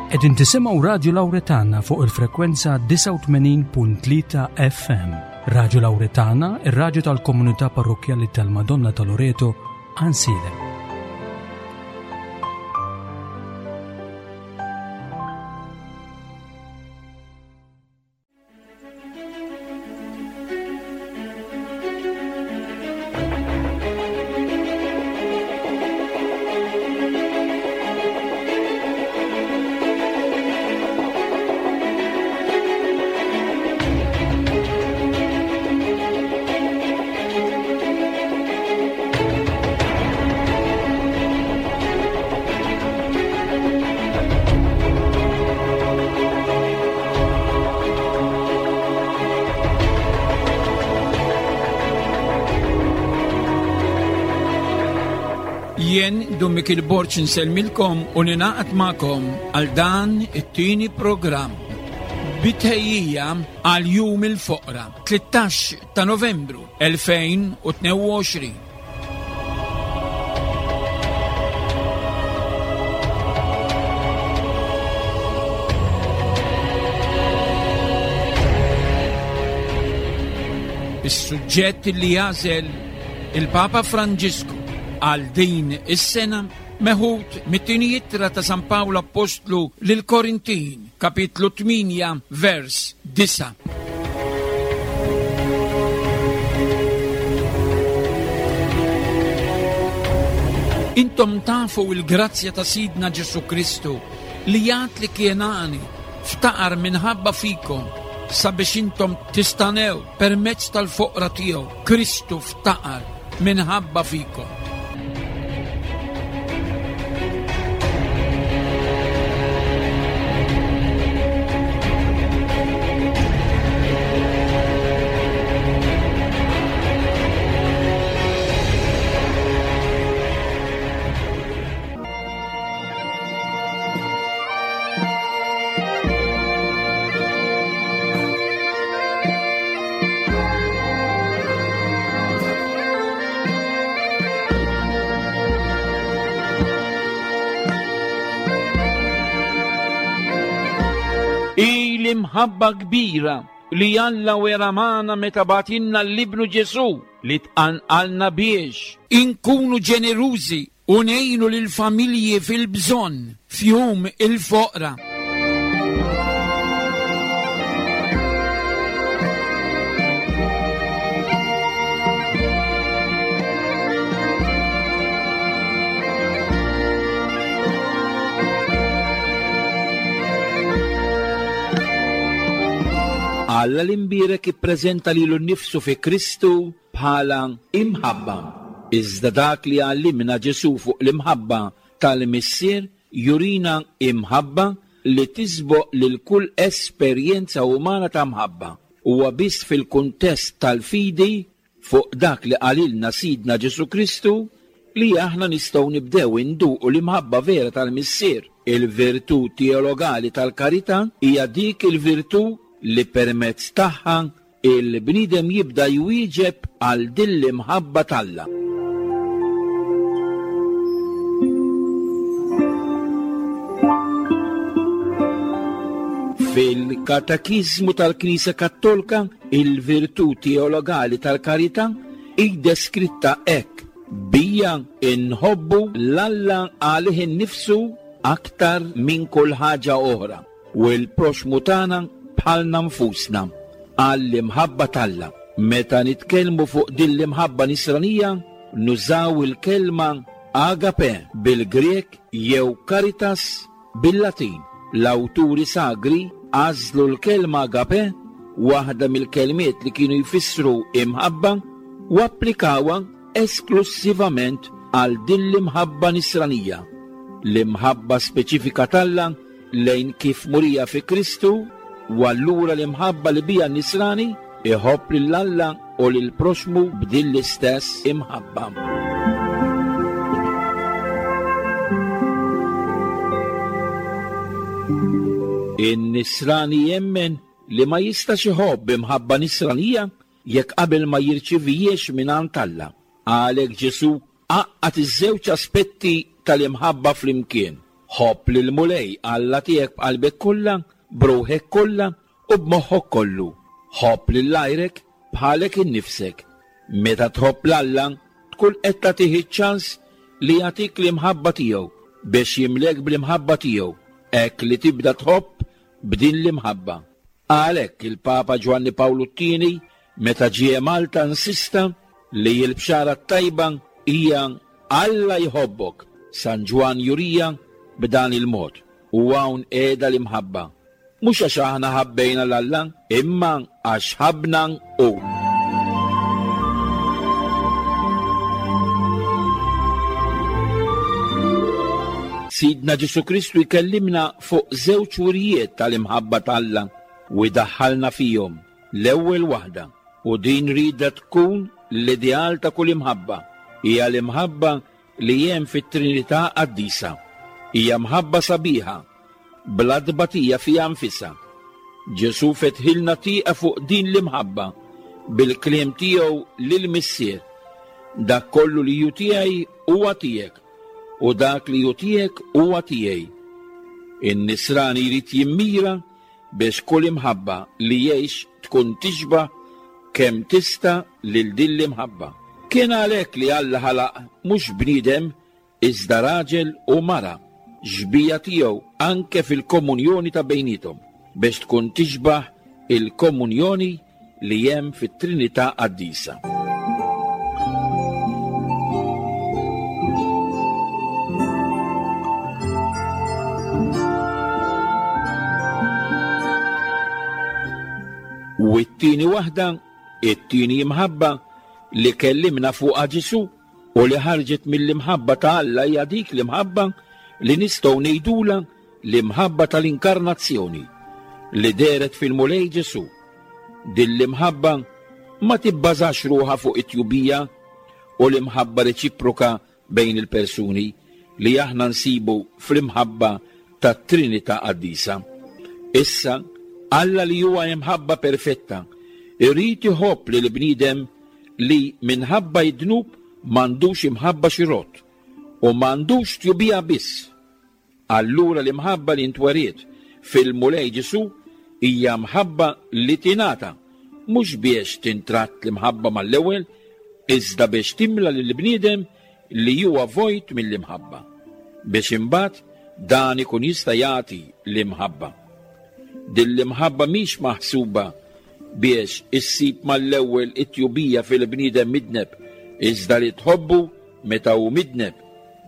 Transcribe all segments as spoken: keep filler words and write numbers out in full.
Qegħdin tisimgħu Radju Lawretana fuq il-frekwenza disgħa u tmenin punt tlieta F M. Radju Lawretana, ir-radju tal-komunità parrokkjali tal-Madonna ta' Loreto, Għajnsielem. Jien Dun Mikiel Borg nsellmilkom u ninaqat magħkom għal dan it-tieni programm bitħejjija għal Jum il-Foqra, tlettax ta' Novembru elfejn u tnejn u għoxrin. Is-suġġett li jażel il-Papa Franġisku għal din is-sena meħud mit-tieni ittra ta' San Pawl Appostlu lil Korintin, kapitlu tmienja, vers disa'. Intom tafu il-grazzja ta' Sidna Ġesu Kristu li jgħid li kien għani ftaqar minħabba fikom sabiex intom tistanew permezz tal-foqra tiegħu. Kristu ftaqar minħabba fikom. L-imħabba kbira li Alla wera magħna meta bagħtilna l-Ibnu Ġesu li tqanqalna biex inkunu ġenerużi u ngħinu lill-familji fil-bżonn f'jum il-foqra. Alla l-imbierek ippreżenta lilu nnifsu fi Kristu bħala imħabba. Iżda dak li għallimna Ġesu fuq l-imħabba tal-Missier jurina imħabba li tisboq lil kull esperjenza umana ta' mħabba. Huwa biss fil-kuntest tal-fidi fuq dak li qalilna Sidna Ġesu Kristu li aħna nistgħu nibdew induqu l-imħabba vera tal-Missier. Il-virtù teologali tal-karità hija dik il-virtù li permezz tagħha il-bniedem jibda jwieġeb għal din l-imħabba t'Alla. Fil-Katekiżmu tal-Knisja Kattolika, il-virtù teologali tal-karità hi deskritta hekk: bija inħobbu l-Alla għalih innifsu aktar minn kull ħaġa oħra u l-proxmu tagħna bħalna nfusna għall-imħabba t'Alla. Meta nitkellmu fuq din l-imħabba nisranija, nużaw il-kelma agape bil-Grek jew caritas bil-Latin. L-awturi sagri għażlu l-kelma agape, waħda mill-kelmiet li kienu jfissru imħabba, u applikawha esklusivament għal din l-imħabba nisranija. L-imħabba speċifika t'Alla lejn kif murija fi Kristu, u allura l-imħabba li bija nisrani iħobb lil Alla u lil proxmu b'din l-istess imħabba. In-nisrani jemmen li ma jistax iħobb imħabba nisranija jekk qabel ma jirċivijiex mingħand Alla. Għalhekk Ġesu għaqqad iż-żewġ aspetti tal-imħabba flimkien. Ħobb lill-Mulej Alla tiegħek b'qalbek kollha, b'ruħek kollha u b'moħħok kollu. Ħobb lil għajrek bħalek innifsek. Meta tħobb 'l Alla, tkun qed tagħtih iċ-ċans li jagħtik l-imħabba tiegħu biex jimlek bl-imħabba tiegħu, hekk li tibda tħobb b'din l-imħabba. Għalhekk il-Papa Ġwanni Pawlu t-tieni meta ġie Malta insista li l-bxara t-tajba hija Alla jħobbok. San Ġwann jurija b'dan il-mod, u hawn qiegħda l-imħabba. Mhux għax aħna ħabbejna 'l Alla, imma għax ħabbna hu. Sidna Ġesù Kristu jkellimna fuq żewġ wirijiet tal-imħabba t'Alla u jdaħħalna fihom. L-ewwel waħda, u din rida tkun l-ideal ta' kull imħabba, hija l-imħabba li hemm fit-Trinità Qaddisa. Hija mħabba sabiħa, bla tbatija fiha nfisha. Ġesù fetħilna tieqa fuq din l-imħabba bil-kliem tiegħu lill-Missier. Dak kollu li hu tiegħi huwa tiegħek, u dak li hu tiegħek huwa tiegħi. In-nisrani jrid jimmira biex kull imħabba li jgħix tkun tixbah kemm tista' lil din l-imħabba. Kien għalhekk li Alla ħalaq mhux bniedem iżda raġel u mara, xbija tiegħu anke fil-komunjoni ta' bejniethom, biex tkun tixbah il-komunjoni li hemm fit-Trinità Qaddisa. U t-tieni waħda, it-tieni imħabba li kellimna fuqha Ġesù u li ħarġet mill-imħabba ta' Alla hija dik l-imħabba li nistgħu ngħidulha l-imħabba tal-inkarnazzjoni li dehret fil-Mulej Ġesù. Din l-imħabba ma tibbażax ruħha fuq it-tjubija u l-imħabba reċiproka bejn il-persuni li aħna nsibu fl-imħabba tat-Trinità Qaddisa. Issa, Alla li huwa imħabba perfetta, irid iħobb lil bniedem li minħabba id-dnub m'għandux imħabba xi rott u m'għandux tjubija biss. Allura l-imħabba li ntweriet fil-Mulej Ġesù hija mħabba li tingħata, mhux biex tintratt l-imħabba mal-ewwel, iżda biex timla lil bniedem li huwa vojt mill-imħabba, biex imbagħad dan ikun jista' jagħti l-imħabba. Din l-imħabba mhix maħsuba biex issib mal-ewwel it-tjubija fil-bniedem midneb, iżda li tħobbu meta hu midneb,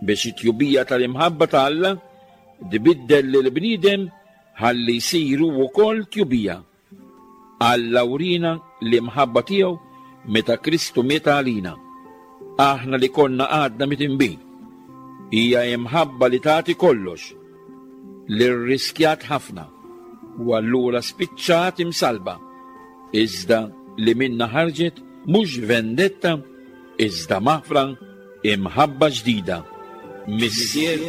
biex it-tjubija tal-imħabba ta' Alla tbiddel lil bniedem ħalli jsiru wkoll tjubija. Alla wrina l-imħabba tiegħu meta Kristu miet għalina, aħna li konna għadna mitinbin. Hija imħabba li tagħti kollox, li rriskjat ħafna, u allura spiċċat imsalba, iżda li minna ħarġet mhux vendetta, iżda maħfra, imħabba ġdida. Missier,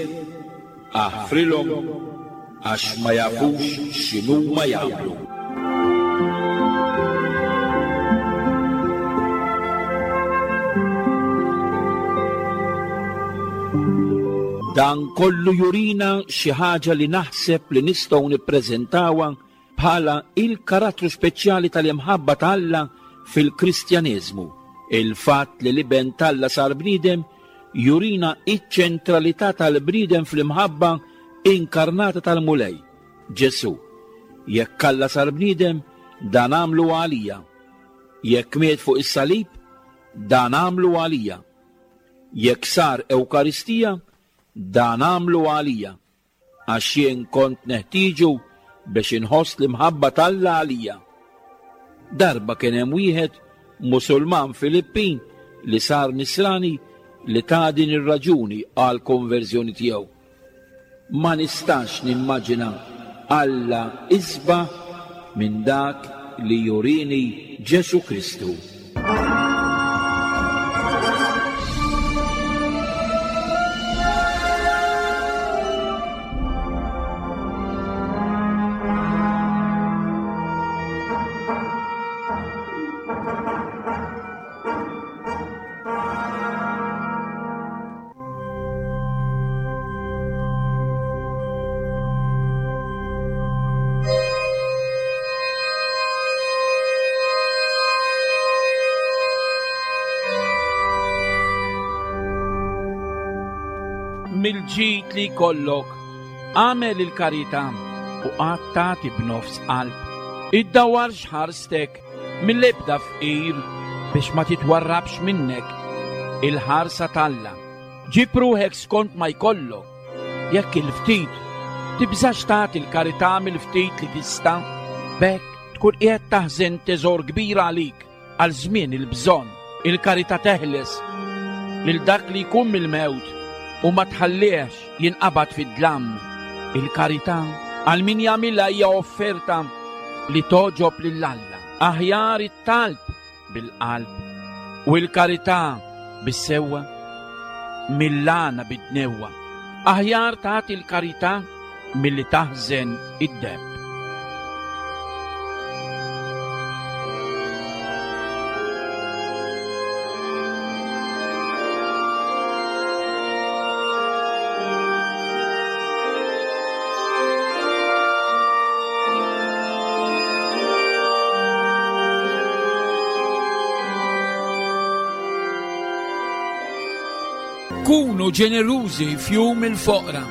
aħfrilhom għax ma jafux x'inhuma jagħmlu. Dan kollu jurina xi ħaġa li naħseb li nistgħu nippreżentawha bħala il-karattru speċjali tal-imħabba ta' Alla fil-Kristjaneżmu. Il-fatt li l-Iben t'Alla sar bniedem jurina iċ-ċentralità tal-bniedem fl-imħabba inkarnata tal-Mulej, Ġesù. Jekk Alla sar bniedem, dan għamlu għalija. Jekk miet fuq is-salib, dan għamlu għalija. Jekk sar Ewkaristija, dan għamlu għalija, għax jien kont neħtieġu biex inħoss l-imħabba t'Alla għalija. Darba kien hemm wieħed Musulman Filippin li sar nisrani li ta' din ir-raġuni għal konverżjoni tiegħu. Ma nistax nimmaġina Alla isbaħ minn dak li jurini Ġesù Kristu. Mill-ġid li jkollok, agħmel il-karità u qatt tagħti b'nofs qalb. Iddawwarx ħarstek mill-ebda fqir biex ma titwarrabx minnek il-ħarsa t'Alla. Ġib ruħek skont ma jkollok, jekk il-ftit tibżax tagħti l-karità mill-ftit li tista', b'hekk tkun qiegħed taħżen teżor kbir għalik għal żmien il-bżonn. Il-karità teħles lil dak li jkun mill-mewt u ma tħallihx jinqabad fid-dlam. Il-karità għal min jagħmilha hija offerta li togħġob lil Alla. Aħjar it-talb bil-qalb u l-karità bis-sewwa mill-għana bid-dnewwa. Aħjar tagħti l-karità milli taħżen id-deheb. Kunu ġenerużi f'jum il-foqra.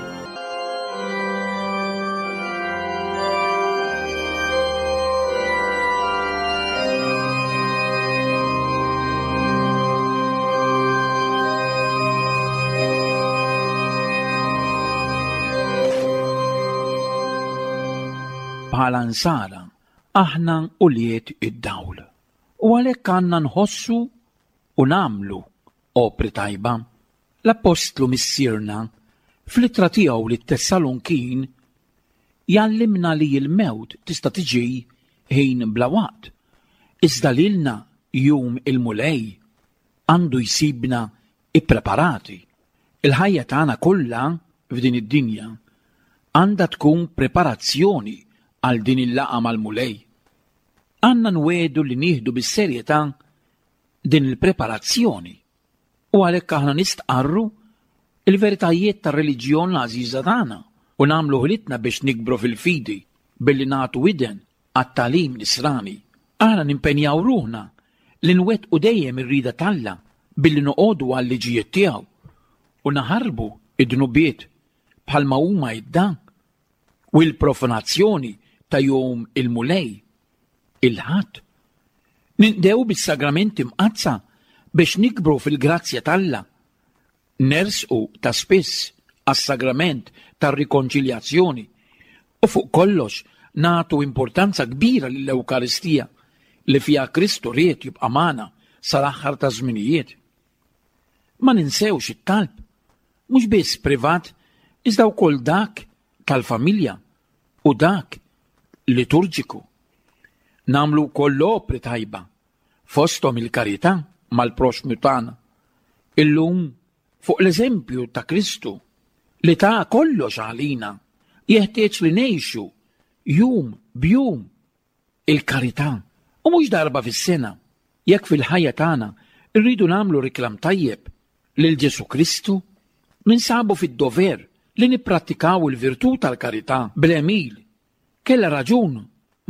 Bħala nsara, aħna ulied id-dawl. U għalhekk għandna nħossu u nagħmlu opri tajba. L-Appostlu Missierna fl-ittra tiegħu lit-Tessalonkin jgħallimna li l-mewt tista' tiġi ħin bla waqt, iżda lilna jum il-Mulej għandu jsibna ippreparati. Il-ħajja tagħna kollha f'din id-dinja għandha tkun preparazzjoni għal din il-laqgħa mal-Mulej. Għandna nwedu li nieħdu bis-serjetà din il-preparazzjoni. U għalhekk aħna nistqarru il-veritajiet tar-reliġjon l-għażiża tagħna u nagħmlu ħilitna biex nikbru fil-fidi billi nagħtu widen għat-tagħlim nisrani. Aħna nimpenjaw ruħna li nwettqu dejjem ir-rieda t'Alla billi noqogħdu għal-liġijiet tiegħu u naħarbu id-dnubiet bħalma huma id-dan u l-profanazzjoni ta' jum il-Mulej, il-Ħadd. Ninqdew bis-sagramenti mqaddsa biex nikbru fil-grazzja t'Alla. Nersqu ta' spiss għas-sagrament tar-rikonċiljazzjoni u fuq kollox nagħtu importanza kbira lill-Ewkaristija li fiha Kristu ried jibqa' magħna sal-aħħar ta' żminijiet. Ma ninsewx it-talb, mhux biss privat, iżda wkoll dak tal-familja u dak liturġiku. Nagħmlu wkoll opri tajba fosthom il-karità mal-proxmu tagħna. Illum fuq l-eżempju ta' Kristu li ta' kollox għalina, jeħtieġ li ngħixu jum b'jum il-karità u mhux darba fis-sena. Jekk fil-ħajja tagħna rridu nagħmlu riklam tajjeb lil Ġesu Kristu, ninsabu fid-dover li nipprattikaw il-virtù tal-karità bl-għemil. Kellha raġun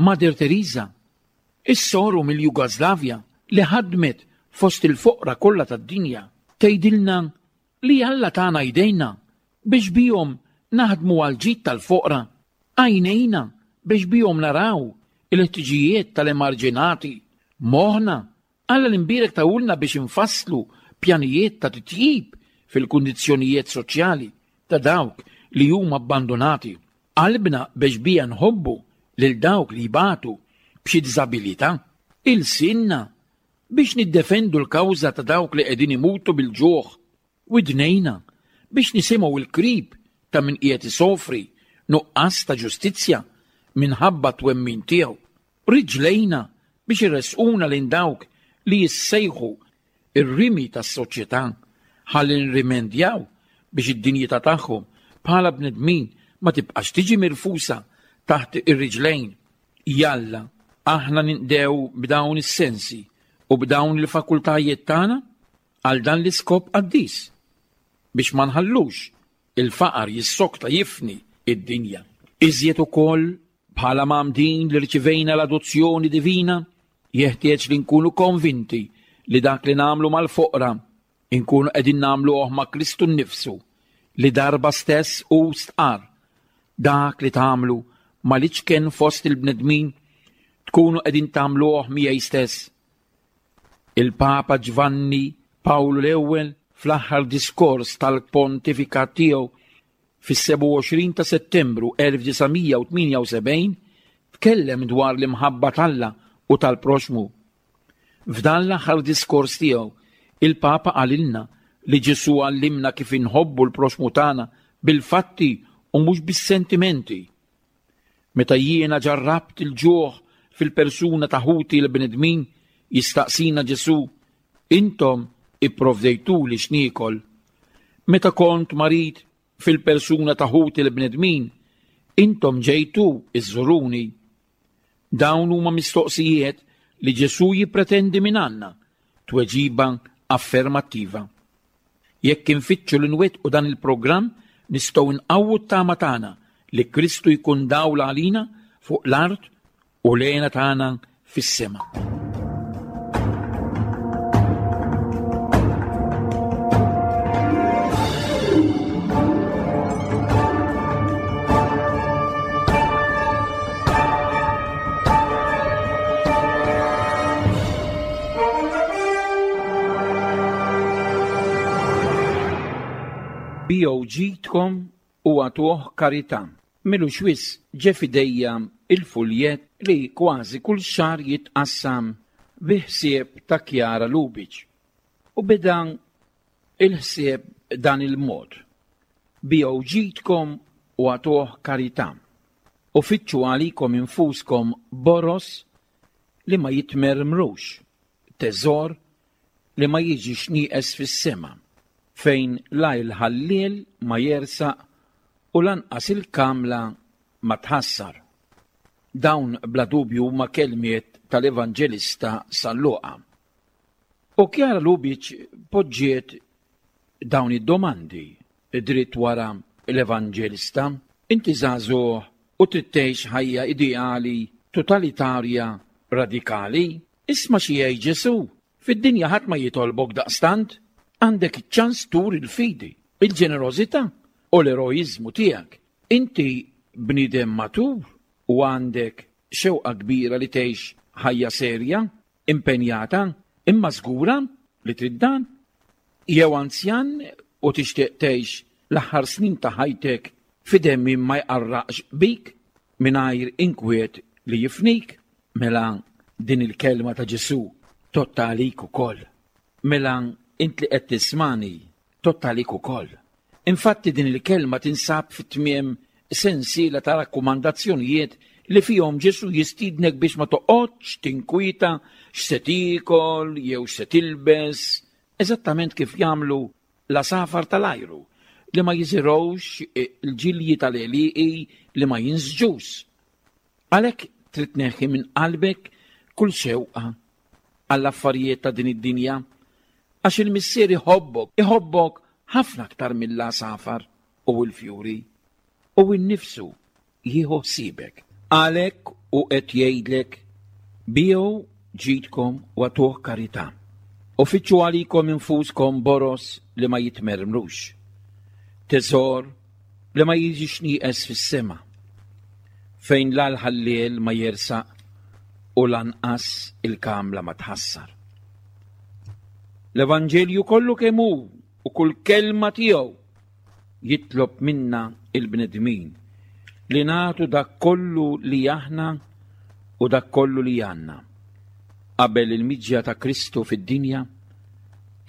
Mother Teresa, is-soru mill-Jugoslavja li ħadmet fost il-foqra kollha tad-dinja, tgħidilna li Alla tagħna jdejna biex bihom naħdmu għall-ġid tal-foqra, għajnejna biex bihom naraw il-ħtiġijiet tal-emarġinati, moħħna Alla l-imbierek tawulna biex infasslu pjanijiet ta' titjib fil-kundizzjonijiet soċjali ta' dawk li huma abbandonati, qalbna biex bija nħobbu lil dawk li jbatu b'xi diżabilità, ilsinna biex niddefendu l-kawża ta' dawk li qegħdin imutu bil-ġuħ, widnejna biex nisimgħu l-krib ta' min qiegħed isofri nuqqas ta' ġustizzja minħabba twemmin tiegħu, riġlejna biex irresquna lejn dawk li jissejħu ir-rimi tas-soċjetà ħalli nirrimendjaw biex id-dinjità tagħhom bħala bnedmin ma tibqax tiġi mirfusa taħt ir-riġlejn. Jalla, aħna ninqdew b'dawn is-sensi u b'dawn il-fakultajiet tagħna għal dan l-iskop qaddis biex ma nħallux il-faqar jissokta jifni id-dinja. Iżjed ukoll bħala mgħammdin li rċivejna l-adozzjoni divina, jeħtieġ li nkunu konvinti li dak li nagħmlu mal-foqra inkunu qegħdin nagħmluh ma' Kristu nnifsu li darba stess hu stqarr: dak li tagħmlu mal-iċken fost il-bnedmin tkunu qegħdin tagħmluh miegħi stess. Il-Papa Ġvanni Pawlu l-Ewwel fl-aħħar diskors tal-pontifikat tiegħu fis-sebgħa u għoxrin ta' Settembru elf disa' mija u tmienja u sebgħin tkellem dwar l-imħabba t'Alla u tal-proxmu. F'dan l-aħħar diskors tiegħu, il-Papa qalilna li Ġesù għallimna kif inħobbu l-proxmu tagħna bil-fatti u mhux bis-sentimenti. Meta jiena ġarrabt il-ġuħ fil-persuna ta' ħuti l-bnedmin, jistaqsina Ġesù, intom ipprovdejtuli x'niekol. Meta kont marid fil-persuna ta' ħuti l-bnedmin, intom ġejtu iżżuruni. Dawn huma mistoqsijiet li Ġesù jippretendi minn għandna, tweġiba affermattiva. Jekk infittxu li nwettqu dan il-programm, nistgħu nqawwu t-tama tagħna li Kristu jkun dawl għalina fuq l-art u l-għena tagħna fis-sema. Biegħu ġidkom u agħtuh karità. Milux wisq ġe f'idejja il-fuljett li kważi kull xahar jitqassam bi ħsieb ta' Chiara Lubich. U beda il-ħsieb dan il-mod. Biegħu ġidkom u agħtuh karità. U fittxu għalikom infuskom boros li ma jitmermrux, teżor li ma jiġix nieqes fis-sema, fejn la il-ħalliel ma jersaq u lanqas il-kamla ma tħassar. Dawn bla dubju huma kelmiet tal-Evanġelista San Luqa. U Chiara Lubich poġġiet dawn id-domandi dritt wara l-Evanġelista. Inti żagħżugħ u trid tgħix ħajja ideali, totalitarja, radikali? Isma' xi jgħid Ġesù. Fid-dinja ħadd ma jitolbok daqstant. Għandek iċ-ċans tur il-fidi, il-ġenerożità u l-eroiżmu tiegħek. Inti bniedem matur u għandek xewqa kbira li tgħix ħajja serja, impenjata, imma żgura li trid dan. Jew anzjan u tixtieq tgħix l-aħħar snin ta' ħajtek f'idem min ma jqarraqx bik mingħajr inkwiet li jifnik. Mela din il-kelma ta' Ġesù totta għalik ukoll. Mela int li qed tismani totta għalik ukoll. Infatti din il-kelma tinsab fit-tmiem sensiela ta' rakkomandazzjonijiet li fihom Ġesù jistiednek biex ma toqgħodx tinkwieta x'se tiekol jew x'se tilbes, eżattament kif jagħmlu l-għasafar tal-ajru li ma jiżirgħux il-ġilji tal-għelieqi li ma jinsġux. Għalhekk trid tneħħi minn qalbek kull xewqa għall-affarijiet ta' din id-dinja, għax il-Missier iħobbok, iħobbok ħafna aktar mill-għasafar u l-fjuri, u nnifsu jieħu ħsiebek. Għalhekk u qed jgħidlek, biegħu ġidkom u agħtuh karità, u fittxu għalikom infuskom boros li ma jitmermrux, teżor li ma jiġix nieqes fis-sema, fejn la l-ħalliel ma jersaq u lanqas il-kamla ma tħassar. L-Evanġelju kollu kemm hu u kull kelma tiegħu jitlob minna il-bnedmin li nagħtu dak kollu li aħna u dak kollu li għandna. Qabel il-miġja ta' Kristu fid-dinja,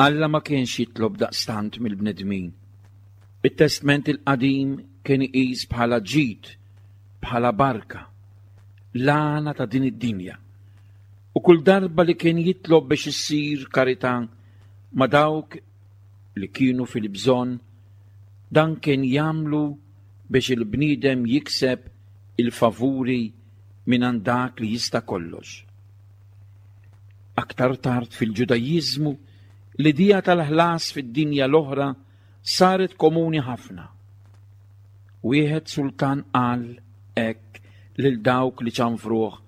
Alla ma kienx jitlob daqstant mill-bnedmin. It-Testment il-Qadim kien iqis bħala ġid, bħala barka, l-għana ta' din id-dinja. U kull darba li kien jitlob biex issir karità ma' dawk li kienu fil-bżonn, dan kien jagħmlu biex il-bniedem jikseb il-favuri minn għand dak li jista' kollox. Aktar tard fil-Ġudajiżmu, l-idea tal-ħlas fid-dinja l-oħra saret komuni ħafna. Wieħed sultan qal hekk lil dawk li ċanfruh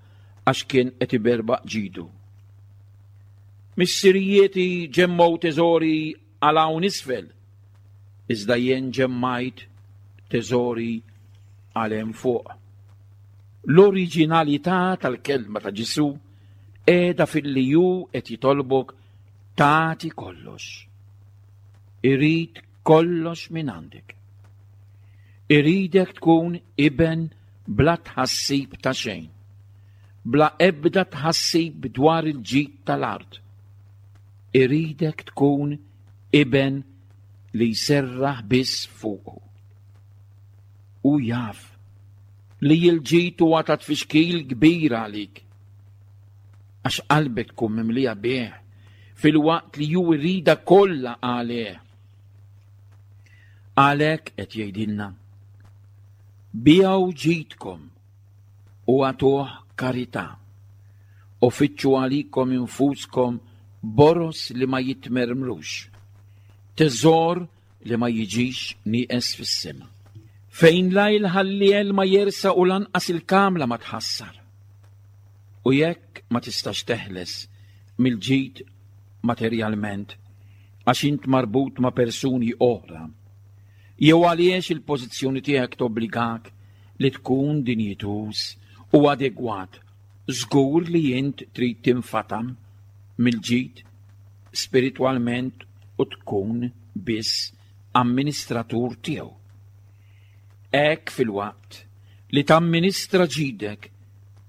għax kien qed iberbaq ġidu. Missirijieti ġemmgħu teżori għal hawn isfel, Iżda jien ġemmajt teżori għal hemm fuq. L-oriġinalità tal-kelma ta' Ġesù qiegħda filli hu qed jitolbok tagħti kollox. Irid kollox minn għandek. Iridek tkun iben bla tħassib ta' xejn, bla ebda tħassib dwar il-ġid tal-art. Iridek tkun iben li jserraħ biss fuqu. U jaf li l-ġid huwa ta' tfixkil kbir għalik, għax qalbek tkun mimlija bih filwaqt li hu jridha kollha għalih. Għalhekk qed jgħidilna: biegħu ġidkom u agħtuh karità, u fittxu għalikom infuskom boros li ma jitmermrux, teżor li ma jiġix nieqes fis-sema, fejn la il-ħalliel ma jersa u lanqas il-kamla ma tħassar. U jekk ma tistax teħles mill-ġid materjalment għax int marbut ma' persuni oħra, jew għaliex il-pożizzjoni tiegħek tobbligak li tkun dinjituż u adegwat, żgur li int trid tinfatam mill-ġid spiritwalment u tkun biss amministratur tiegħu. Hekk filwaqt li tamministra ġidek,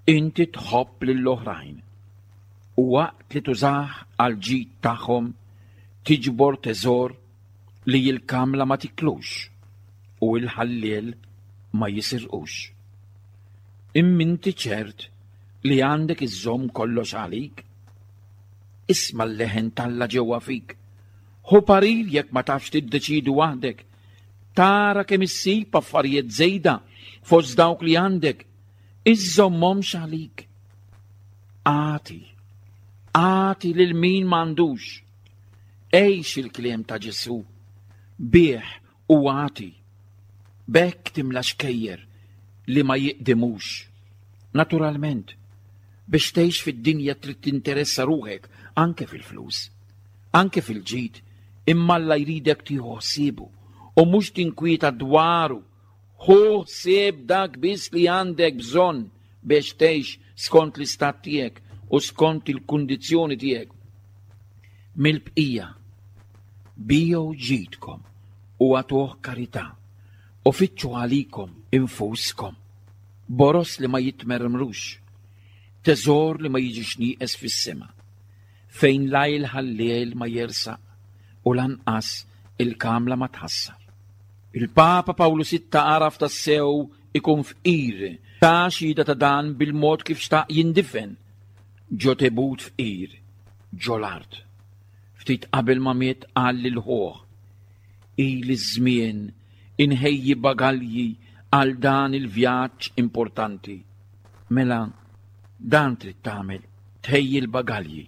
inti tħobb lill-oħrajn, u waqt li tużah għal ġid tagħhom tiġbor teżor li l-kamla ma tiklux u l-ħalliel ma jisirqux. Imma inti ċert li għandek iżżomm kollox għalik? Isma' l-leħen t'Alla ġewwa fik. Ħu parir jekk ma tafx tiddeċidi waħdek. Tara kemm issib affarijiet żejda fost dawk li għandek. Iżżommhomx għalik. Agħti, agħti lil min m'għandux. Għix il-kliem ta' Ġesù, bigħ u agħti. B'hekk timla xkejjer li ma jiqdimux. Naturalment, biex tgħix fid-dinja trid tinteressa ruħek anke fil-flus, anke fil-ġid, imma Alla jridek tieħu ħsiebu u mhux tinkwieta dwaru. Ħu ħsieb dak biss li għandek bżonn biex tgħix skont l-istat tiegħek u skont il-kundizzjoni tiegħek. Mill-bqija, biegħu ġidkom u agħtuh karità, u fittxu għalikom infuskom boros li ma jitmermrux, teżor li ma jiġix nieqes fis-sema, fejn la il-ħalliel ma jersaq u lanqas il-kamla ma tħassar. Il-Papa Pawlu Sitta għaraf tassew ikun fqir, ta xhieda ta' dan bil-mod kif xtaq jindifen, ġo tebut fqir, ġo l-art. Ftit qabel ma miet qal lil ħuh: ili żmien inħejji bagalji għal dan il-vjaġġ importanti. Mela, dan trid tagħmel, tħejji l-bagalji.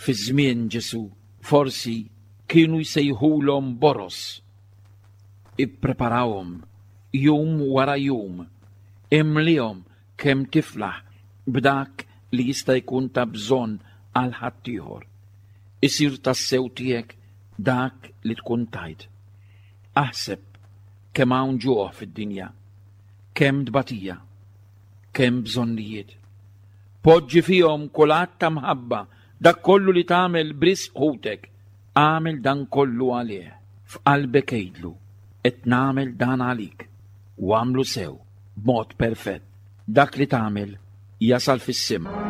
Fi żmien Ġesù forsi kienu jsejħulhom boros. Ippreparawhom jum wara jum, imlihom kemm tiflaħ b'dak li jista' jkun ta' bżonn għal ħaddieħor. Isir tassew tiegħek dak li tkun tajt. Aħseb kemm hawn ġuħ fid-dinja, kemm tbatija, kemm bżonnijiet. Poġġi fihom kull att ta' mħabba, dak kollu li tagħmel b'risq ħutek, agħmel dan kollu għalih. F'qalbek għidlu, qed nagħmel dan għalik, u agħmlu sew, b'mod perfett. Dak li tagħmel jasal fis-sema.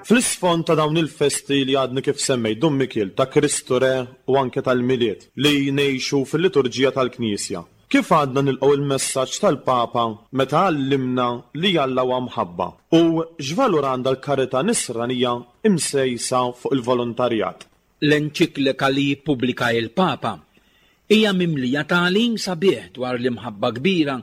Fl-isfond ta' dawn il-festi li għadni kif semmejt, Dun Mikiel, ta' Kristu Re u anke tal-Milied li ngħixu fil-liturġija tal-Knisja, kif għadna nilqgħu il-messaġġ tal-Papa meta għallimna li Alla huwa mħabba u x'valur għandha l-karità nisranija imsejsa fuq il-volontarjat? L-enċiklika li jippubblika il-Papa hija mimlija tagħlim sabiħ dwar l-imħabba kbira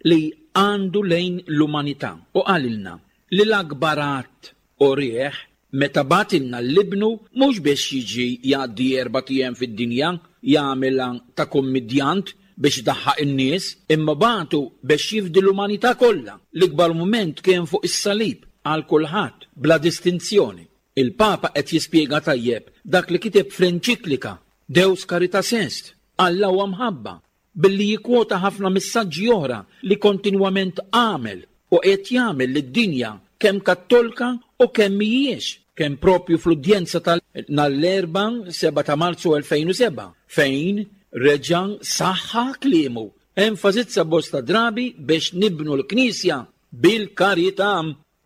li għandu lejn l-umanità u qalilna li l-akbar att u rieħ meta bagħtilna 'l Ibnu mhux biex jiġi jgħaddi erbat ijiem fid-dinja jagħmilha ta' kummidjant biex idaħħaq in-nies, imma bagħtu biex jifdi l-umanità kollha. L-ikbar mument kien fuq is-salib għal kulħadd bla distinzjoni. Il-Papa qed jispjega tajjeb dak li kiteb fl-enċiklika Deus Caritas Est, Alla huwa mħabba, billi jikkwota ħafna messaġġi oħra li kontinwament għamel u qed jagħmel lid-dinja kemm kattolka u kemm mhijiex, kemm propju fl-udjenza tal-nhar l-Erbgħa seba' ta' Marzu elfejn u sebgħa, fejn reġa' saħħa kliemu, enfasizza bosta drabi biex nibnu l-Knisja bil-karità.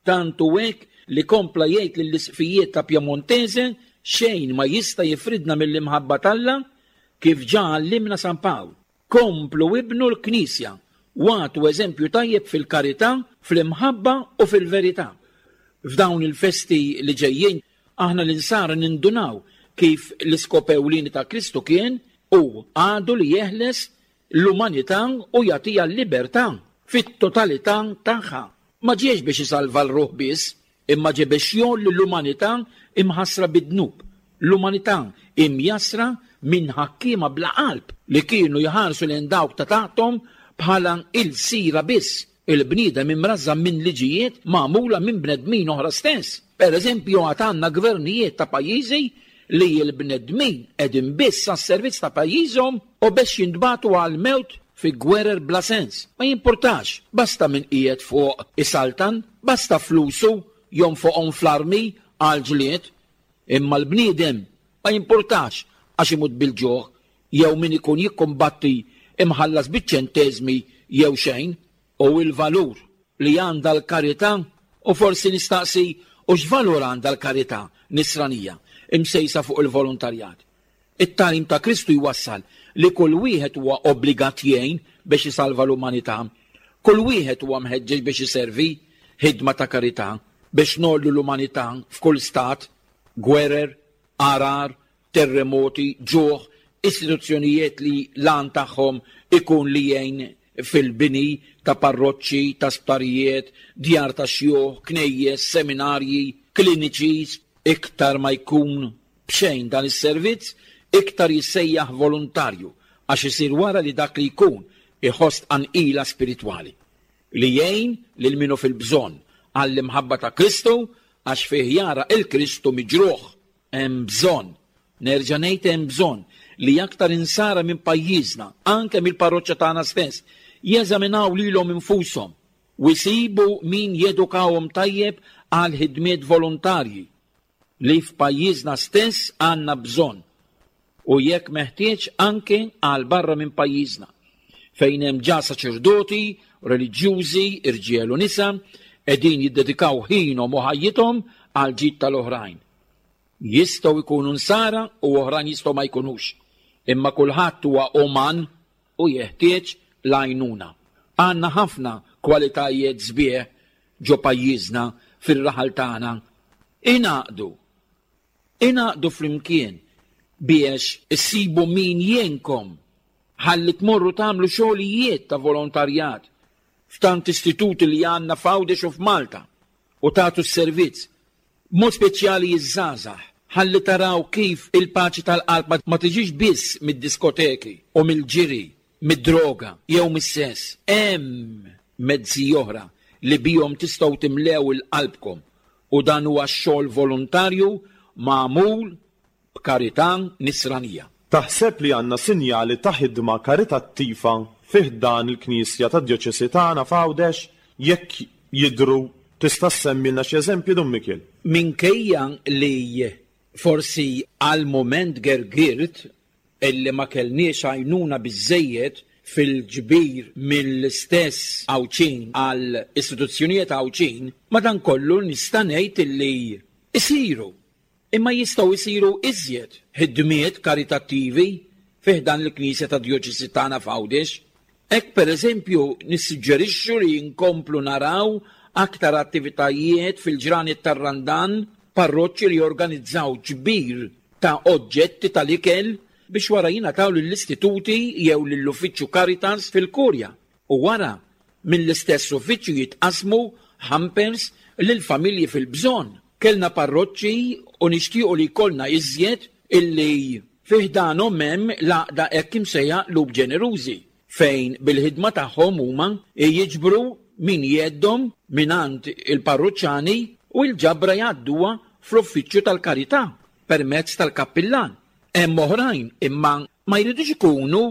Tant hu hekk li kompla jgħid lill-isqfijiet ta' Piemontese xejn ma jista' jifridna mill-imħabba t'Alla kif ġa għallimna San Pawl. Komplu ibnu l-Knisja u agħtu eżempju tajjeb fil-karità, fl-imħabba u fil-verità. F'dawn il-festi li ġejjin aħna l-insara nindunaw kif l-iskop ewlieni ta' Kristu kien u għadu li jeħles l-umanità u jagħtiha l-libertà fit-totalità tagħha. Ma ġiex biex isalva l-ruħ biss, imma ġie biex jgħolli l-umanità imħassra bid-dnub, l-umanità imjassra minn ħakkiema bla qalb li kienu jħarsu lejn dawk ta' taħthom bħala il-sira biss, il-bniedem imrażżan minn liġijiet magħmula minn bnedmin oħra stess. Per eżempju, għad għandna gvernijiet ta' pajjiżi li l-bnedmin qegħdin biss għas-servizz ta' pajjiżhom u biex jintbagħtu għall-mewt fi gwerer bla sens. Ma jimpurtax, basta min qiegħed fuq isaltan, basta flusu jonfoqhom fl-armi għal ġlied, imma l-bniedem ma jimpurtax għax imut bil-ġuħ jew min ikun jikkumbatti imħallas biċ-ċenteżmi jew xejn. U il-valur li għandha l-karità, u forsi nistaqsi u x'valur għandha l-karità nisranija imsejsa fuq il-volontarjat. It-tagħlim ta' Kristu jwassal li kull wieħed huwa obbligat jgħin biex isalva l-umanità, kull wieħed huwa mħeġġeġ biex iservi ħidma ta' karità biex nollu l-umanità f'kull stat, gwerer, arar, terremoti, ġuħ, istituzzjonijiet li lan tagħhom ikun li jgħin fil-bini ta' parroċċi, ta' sptarijiet, djar ta' xjuħ, knejjes, seminarji, kliniċi. Iktar ma jkun b'xejn dan is-servizz, iktar jissejjaħ volontarju, għax isir wara li dak li jkun iħoss tqanqila spiritwali li jgħin lil minu fil-bżonn għall-imħabba ta' Kristu, għax fih jara il-Kristu miġruħ. Hemm bżonn, nerġa' ngħid hemm bżonn li aktar insara minn pajjiżna, anke mill-parroċċa tagħna stess, jeżaminaw lilhom infushom u jsibu min jedukawhom tajjeb għal ħidmiet volontarji li f'pajjiżna stess għandna bżonn, u jekk meħtieġ anke għal barra minn pajjiżna, fejn hemm ġa saċerdoti, reliġjużi, irġiel u nisa, qegħdin jiddedikaw ħinhom u ħajjithom għal ġid tal-oħrajn. Jistgħu jkunu nsara u oħrajn jistgħu ma jkunux, imma kulħadd huwa uman u jeħtieġ l-għajnuna. Għandna ħafna kwalitajiet sbieħ ġo pajjiżna fir-raħal tagħna. Ingħaqdu, ingħaqdu flimkien biex issibu min jgħinkom ħalli tmorru tagħmlu xogħlijiet ta' volontarjat f'tant istituti li għandna f'Għawdex u f'Malta u tagħtu s-servizz, b'mod speċjali iż-żgħażagħ, ħalli taraw kif il-paċi tal-qalb ma tiġix biss mid-diskoteki u mill-ġiri, mid-droga jew mis-sess. Hemm mezzi oħra li bihom tistgħu timlew il-qalbkom, u dan huwa x-xogħol volontarju magħmul b'karità nisranija. Taħseb li għandna sinjali ta' ħidma karitattiva fih dan il-Knisja tad-Djoċesi tagħna f'Għawdex? Jekk jidhru, tista' ssemmilna xi eżempju, Dun Mikiel? Minkejja li forsi għal moment gergirt illi ma kellniex għajnuna biżżejjed fil-ġbir mill-istess Għawdxin għal istituzzjonijiet Għawdxin, madankollu nista' ngħid illi isiru, imma jistgħu jsiru iżjed ħidmiet karitattivi fih dan il-Knisja ta' Djoċesi tagħna f'Għawdex. Hekk pereżempju nissuġġerixxu li nkomplu naraw aktar attivitajiet fil-ġranet tar-Randan, parroċċi li jorganizzaw ġbir ta' oġġetti tal-ikel biex wara jingħataw lill-istituti jew lill-uffiċċju Caritas fil-Kurja, u wara mill-istess uffiċċju jitqasmu hampers lill-familji fil-bżonn. Kellna parroċċi u nixtiequ li jkollna iżjed illi fi ħdanhom hemm l-għaqda hekk imsejħa Qlub Ġenerużi, fejn bil-ħidma tagħhom huma jiġbru min jeddhom mingħand il-parruċċani u l-ġabra jgħadduha fl-uffiċċju tal-karità permezz tal-kappillan. Hemm oħrajn imma ma jridux ikunu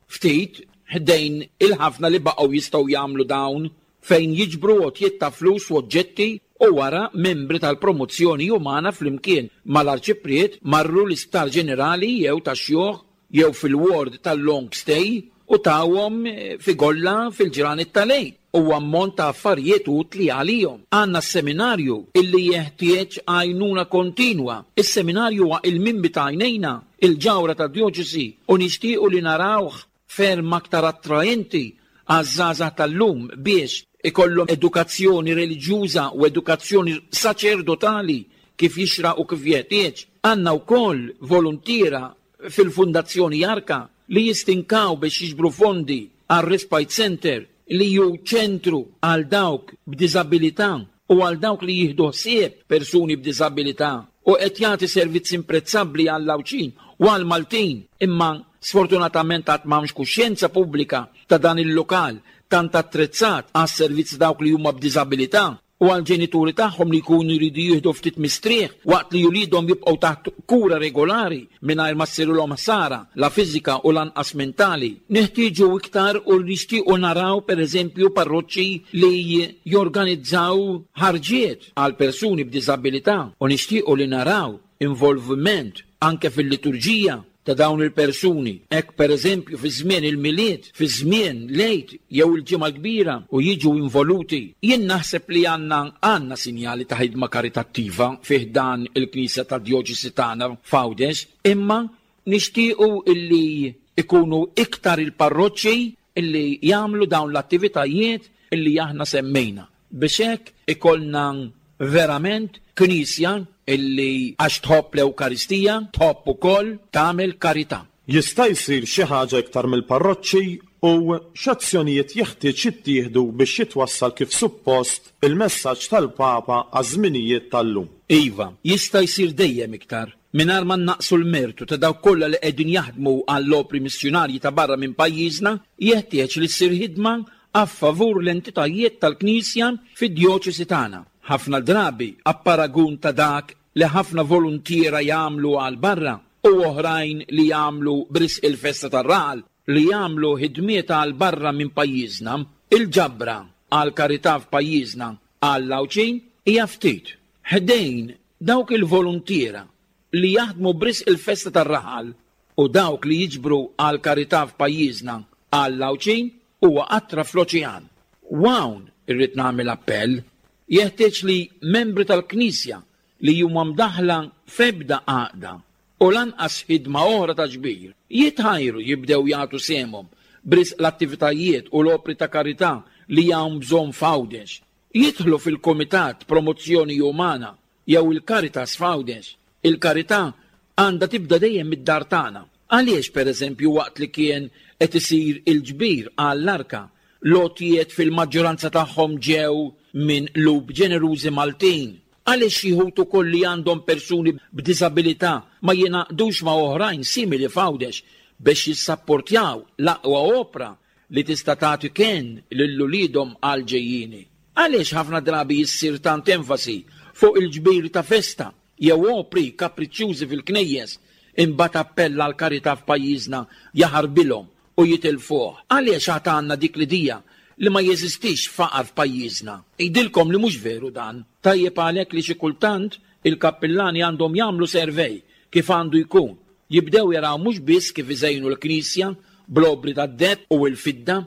ftit ħdejn il-ħafna li baqgħu jistgħu jagħmlu dawn, fejn jiġbru għotjiet ta' flus u oġġetti u wara membri tal-promozzjoni umana flimkien mal-arċipriet marru l-isptar ġenerali jew tax-xjuħ jew fil-ward tal-long stay u tawhom figolla fil-ġranet tal-Għid u ammont ta' affarijiet utli għalihom. Għandna s-seminarju illi jeħtieġ għajnuna kontinwa. Is-seminarju huwa il-mimmi ta' għajnejna, il-ġawra ta' djoċesi, u nixtiequ li narawh ferm aktar attraenti għaż-żgħażagħ tal-lum biex ikollhom edukazzjoni reliġjuża u edukazzjoni saċerdotali kif jixraq u kif jeħtieġ. Għandna wkoll voluntiera fil-Fundazzjoni Arka li jistinkaw biex jiġbru fondi għal Respite Center li ju ċentru għal dawk b'diżabilità u għal dawk li jieħdu ħsieb persuni b'diżabilità u qed jagħti servizz imprezzabbli għall-Għawdxin u għall-Maltin, imma sfortunatament għad m'hawnx kuxjenza pubblika ta' dan il-lokal tant attrezzat għas servizz dawk li huma b'diżabilità u għal ġenituri tagħhom li jkunu jridu jieħdu ftit mistrieħ waqt li uliedhom jibqgħu taħt kura regolari mingħajr ma ssirilhom ħsara la fiżika u lanqas mentali. Neħtieġu iktar u nixtiequ naraw pereżempju parroċċi li jorganizzaw ħarġiet għal persuni b'diżabilità u nixtiequ li naraw involviment anke fil-liturġija ta' dawn il-persuni. Hekk pereżempju fi żmien il-Milied, fi żmien l-Għid jew il-Ġimgħa l-Kbira u jiġu involuti. Jien naħseb li għandna għandna sinjali ta' ħidma karitattiva fih dan il-Knisja ta' Djoċesi tagħna f'Għawdex, imma nixtiequ illi ikunu iktar il-parroċċi illi jagħmlu dawn l-attivitajiet illi aħna semmejna. Biex hekk ikollna verament knisja illi għax tħobb l-Ewkaristija, tħobb ukoll tagħmel karità. Jista' jsir xi ħaġa iktar mill-parroċċi u x'azzjonijiet jeħtieġ jittieħdu biex jitwassal kif suppost il-messaġġ tal-Papa għaż-żminijiet tal-lum. Iva, jista' jsir dejjem iktar, mingħajr ma naqsu l-mertu ta' dawk kollha li qegħdin jaħdmu għall-opri missjunarji ta' barra minn pajjiżna, jeħtieġ li ssir ħidma a favur l-entitajiet tal-Knisja fid-djoċesi tagħna. Ħafna drabi apparagun ta' dak li ħafna voluntiera jagħmlu għal barra u oħrajn li jagħmlu b'risq il-festa tar-raħal li jagħmlu ħidmiet għal barra minn pajjiżna, il-ġabra għal karità f'pajjiżna għal Għawdxin hija ftit. Ħdejn dawk il-voluntiera li jaħdmu b'risq il-festa tar-raħal u dawk li jiġbru għal karità f'pajjiżna għal Għawdxin huwa qatra fl-oċean. U hawn irrid nagħmel appell. Jeħtieġ li membri tal-Knisja li huma mdaħla f'ebda għaqda u lanqas ħidma oħra ta' ġbir jitħajru jibdew jagħtu sehemhom b'risq l-attivitajiet u l-opri ta' karità li hawn bżonn f'Għawdex. Jidħlu fil-Kumitat Promozzjoni Umana jew il-Caritas f'Għawdex. Il-karità għandha tibda dejjem mid-dar tagħna. Għaliex pereżempju waqt li kien qed isir il-ġbir għall-arka, l-għotjiet fil-maġġoranza tagħhom ġew minn qlub ġenerużi Maltin? Għaliex xi wħud ukoll li għandhom persuni b'diżabilità ma jingħaqdux ma' oħrajn simili f'Għawdex biex jissapportjaw l-aqwa opra li tista' tagħti kenn lil uliedhom għal ġejjieni? Għaliex ħafna drabi jissir tant enfasi fuq il-ġbir ta' festa jew opri kapriċċjużi fil-knejjes, imbagħad appell għal karità f'pajjiżna jaħarbilhom u jitilfuh? Għaliex għad għandna dik l-idea li ma jeżistix faqar f'pajjiżna? Ngħidilkom li mhux veru dan. Tajjeb għalhekk li xi kultant il-kappillani għandhom jagħmlu servej kif għandu jkun. Jibdew jaraw mhux biss kif iżejnu l-knisja bl-obri tad-deheb u l-fidda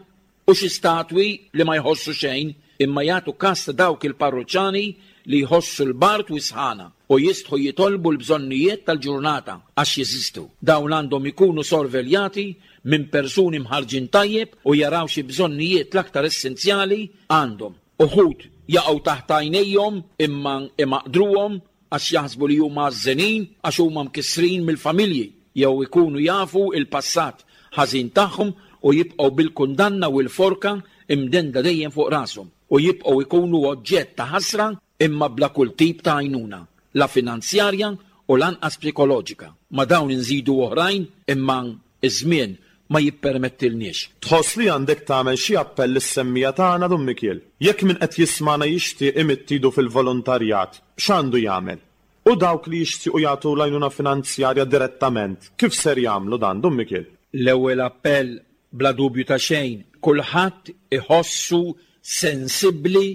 u xi statwi li ma jħossu xejn, imma jagħtu kas ta' dawk il-parroċċani li jħossu l-bard u s-sħana u jistħu jitolbu l-bżonnijiet tal-ġurnata għax jeżistu. Dawn għandhom ikunu sorveljati minn persuni mħarġin tajjeb u jaraw xi bżonnijiet l-aktar essenzjali għandhom. Uħud jaqgħu taħt għajnejhom imma imaqdruhom għax jaħsbu li huma għażżenin għax huma mkissrin mill-familji jew ikunu jafu il-passat ħażin tagħhom u jibqgħu bil-kundanna u l-forka imdenda dejjem fuq rashom u jibqgħu jkunu oġġett ta' ħasra imma bla kull tip ta' għajnuna. la finanzjarja u lanqas psikoloġika. Ma dawn inżidu oħrajn, imma iż-żmien ma jippermettilniex. Tħoss li għandek tagħmel xi appell lis-semmiegħa tagħna, Dun Mikiel? Jekk min qed jismagħna jixtieq imidd idu fil-volontarjat, x'għandu jagħmel? U dawk li jixtiequ jagħtu l-għajnuna finanzjarja direttament, kif ser jagħmlu dan, Dun Mikiel? L-ewwel appell, bla dubju ta' xejn, kulħadd iħossu sensibbli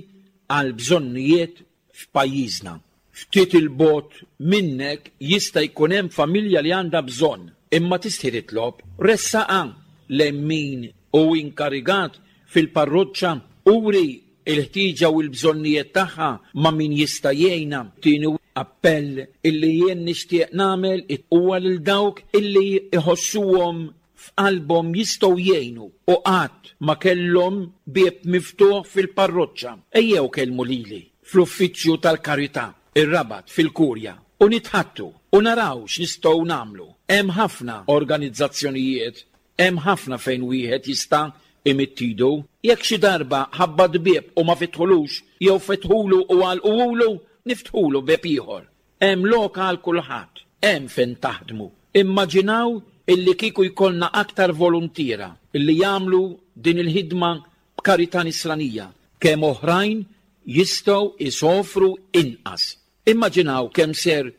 għal bżonnijiet f'pajjiżna. Ftit il-bogħod minnek jista' jkun hemm familja li għandha bżonn, imma tistħi titlob, ressaqa lejn min hu inkarigat fil-parroċċa, uri il-ħtieġa u l-bżonnijiet tagħha ma' min jista' jgħinha. Tieni appell illi jien nixtieq nagħmel huwa lil dawk illi iħossuhom f'qalbhom jistgħu jgħinu u qatt ma kellhom bieb miftuħ fil-parroċċa. Ejjew kellmu lili fl-uffiċċju tal-Karità, ir-Rabat, fil-Kurja, u nitħattu u naraw x'nistgħu nagħmlu. Hemm ħafna organizzazzjonijiet, hemm ħafna fejn wieħed jista' imidd idu. Jekk xi darba ħabbat bieb u ma fetħulux, jew fetħulu u għalquhulu, niftħulu bieb ieħor. Hemm lok għal kulħadd, hemm fejn taħdmu. Immaġinaw illi kieku jkollna aktar voluntiera illi jagħmlu din il-ħidma b'karità nisranija, kemm oħrajn jistgħu isofru inqas. Immaġinaw kemm ser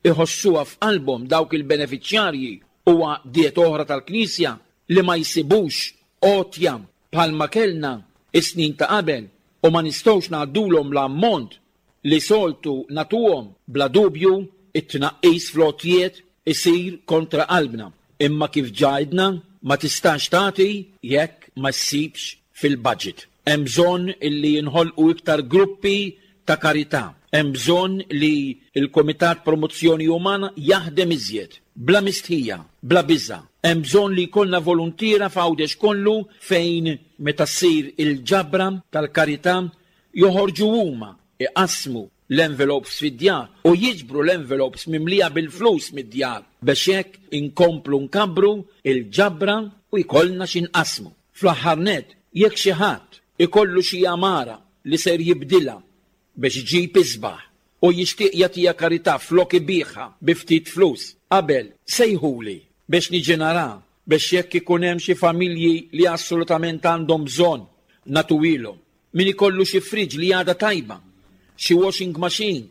iħossuha f'qalbhom dawk il-beneficjarji u għaqdiet oħra tal-Knisja li ma jsibux għotja bħalma kellna is-snin ta' qabel u ma nistgħux ngħaddulhom l-ammont li soltu nagħtuhom. Bla dubju it-tnaqqis fl-għotjiet isir kontra qalbna, imma kif ġajdna ma tistax tagħti jekk ma ssibx fil-budget. Hemm bżonn illi jinħolqu iktar gruppi ta' karità. Hemm bżonn li l-Kumitat Promozzjoni Umana jaħdem iżjed, bla mistħija, bla biża'. Hemm bżonn li jkollna voluntiera f'Għawdex kollu fejn meta ssir il-ġabra tal-karità joħorġu huma iqassmu l-envelopes fid-djar u jiġbru l-envelopes mimlija bil-flus mid-djar biex hekk inkomplu nkabbru il-ġabra u jkollna x'inqasmu. Fl-aħħar nett, jekk xi ħadd ikollu xi għamara li ser jibdilha biex iġib isbaħ u jixtieq jagħtiha karità flok ibiħha bi ftit flus, qabel sejħuli biex niġi nara, biex jekk ikun hemm xi familji li assolutament għandhom bżonn nagħtuhilhom. Min ikollu xi friġ li għadha tajba, xi washing machine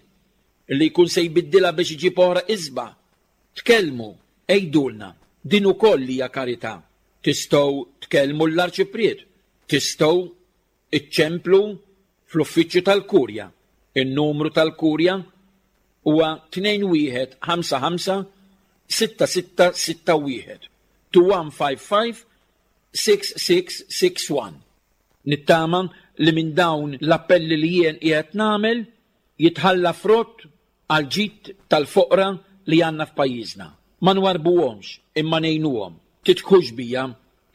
li jkun se jbiddilha biex iġib oħra isbaħ, tkellmu, għidulna, din ukoll hija karità. Tistgħu tkellmu l-arċipriet, tistgħu iċċemplu fl-uffiċċju tal-Kurja. In-numru tal-Kurja huwa tnejn wieħed ħamsa ħamsa sitta sitta sitta wieħed, two one five five six six six one. Nittama li minn dawn l-appelli li jien qiegħed nagħmel jitħalla frott għal ġid tal-foqra li għandna f'pajjiżna. Ma nwarbuhomx imma ngħinuhom. Titħux bija,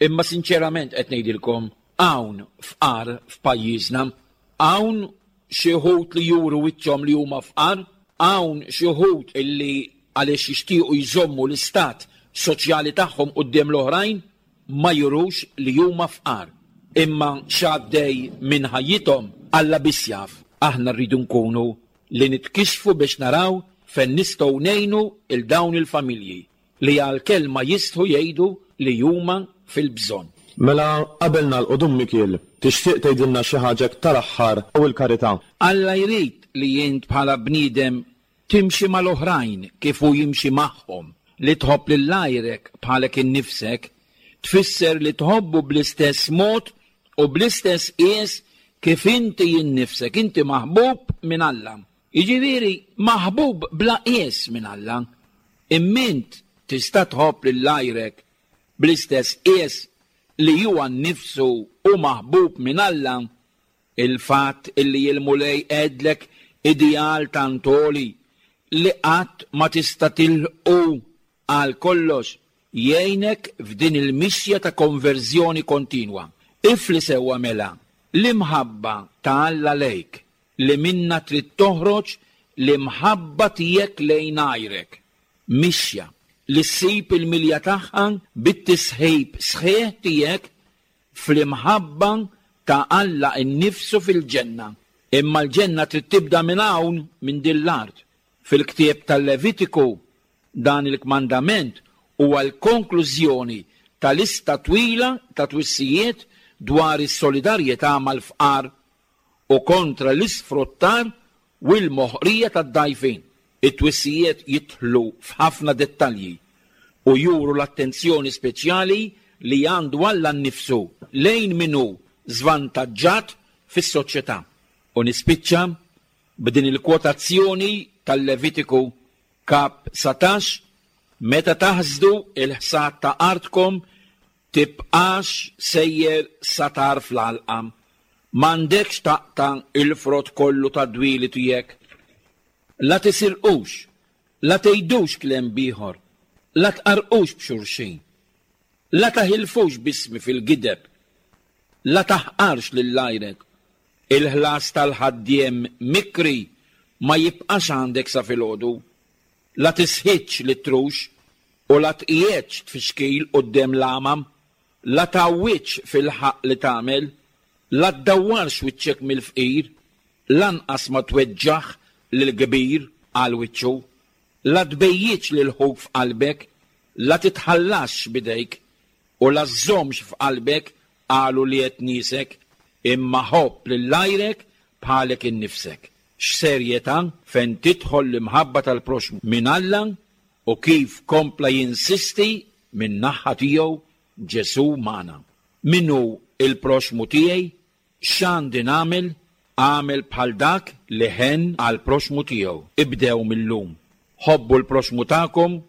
imma sinċerament qed ngħidilkom, hawn fqar f'pajjiżna, hawn xi wħud li juru wiċċhom li huma fqar, hawn xi wħud illi għaliex jixtiequ jżommu l-istat soċjali tagħhom quddiem l-oħrajn ma jurux li huma fqar. Imma x'għaddej minn ħajjithom Alla biss jaf. Aħna rridu nkunu li nitkixfu biex naraw fejn nistgħu ngħinu il dawn il-familji li għal kelma jistħu jgħidu li huma fil-bżonn. Mela qabel nagħlqu, Dun Mikiel, tixtieq tgħidilna xi ħaġa tal-aħħar u l-karità? Alla jrid li int bħala bniedem timxi mal-oħrajn kif hu jimxi magħhom, li tħobb lil għajrek bħalek innifsek, tfisser li tħobbu bl-istess mod u bl-istess qies kif inti innifsek, inti maħbub minn Alla. Jiġifieri maħbub bla qies minn Alla. Immint tista' tħobb lil għajrek bl-istess qies li huwa nnifsu u maħbub minn Alla. Il-fatt illi l-Mulej għedlek ideal tantoli li qatt ma tista' tilħqu għal kollox jgħinek f'din il-mixja ta' konverżjoni kontinwa. Ifli sewwa mela l-imħabba ta' Alla lejk li minna trid toħroġ l-imħabba tiegħek lejn għajrek. Mixja li ssib il-milja tagħha bit-tisħib sħiħ tiegħek fl-imħabba ta' Alla innifsu fil-ġenna. Imma l-ġenna trid tibda minn hawn, minn din l-art, Fil-ktieb tal-Levitiku dan il-kmandament huwa l-konklużjoni ta' lista twila ta' twissijiet dwar is-solidarjetà mal-fqar u kontra l-isfruttar u l-moħqrija tad-dgħajfin. It-twissijiet jidħlu f'ħafna dettalji u juru l-attenzjoni speċjali li għandu Alla nnifsu lejn min hu żvantaġġat fis-soċjetà. U nispiċċa b'din il-kwotazzjoni tal-Levitiku kap satax, meta taħsdu il-ħsad ta' artkom tibqax sejjer satar fl-għalqa. M'għandekx taqta' il-frott kollu tad-dwieli tiegħek. La tisirqux, la tgħidux kliem bieħor, la tqarqux b'xulxin, la taħilfux bismi fil-gideb, la taħqarx lil għajrek. Il-ħlas tal-ħaddiem mikri ma jibqax għandek sa filgħodu. La tisħitx li trux u la tqiegħedx tfixkil quddiem l-għamam, la tgħawwiġx fil-ħaqq li tagħmel, la ddawwarx wiċċek mill-fqir, lanqas ma tweġġaħ lill-kbir għal wiċċu, la tbejjiġ lil ħuk f'qalbek, la titħallasx bidejk u la żżommx f'qalbek għalu li qed niesek, imma ħobb lil għajrek bħalek innifsek. X'serjetà fejn tidħol l-imħabba tal-proxmu minn Alla u kif kompla jinsisti minn naħa tiegħu Ġesù magħna. Min hu il-proxmu tiegħi? X'għandi nagħmel? Għamel bħal dak li ħen għall-proxmu tiegħu. Ibdew mil-lum. Ħobbu l-proxmu tagħkom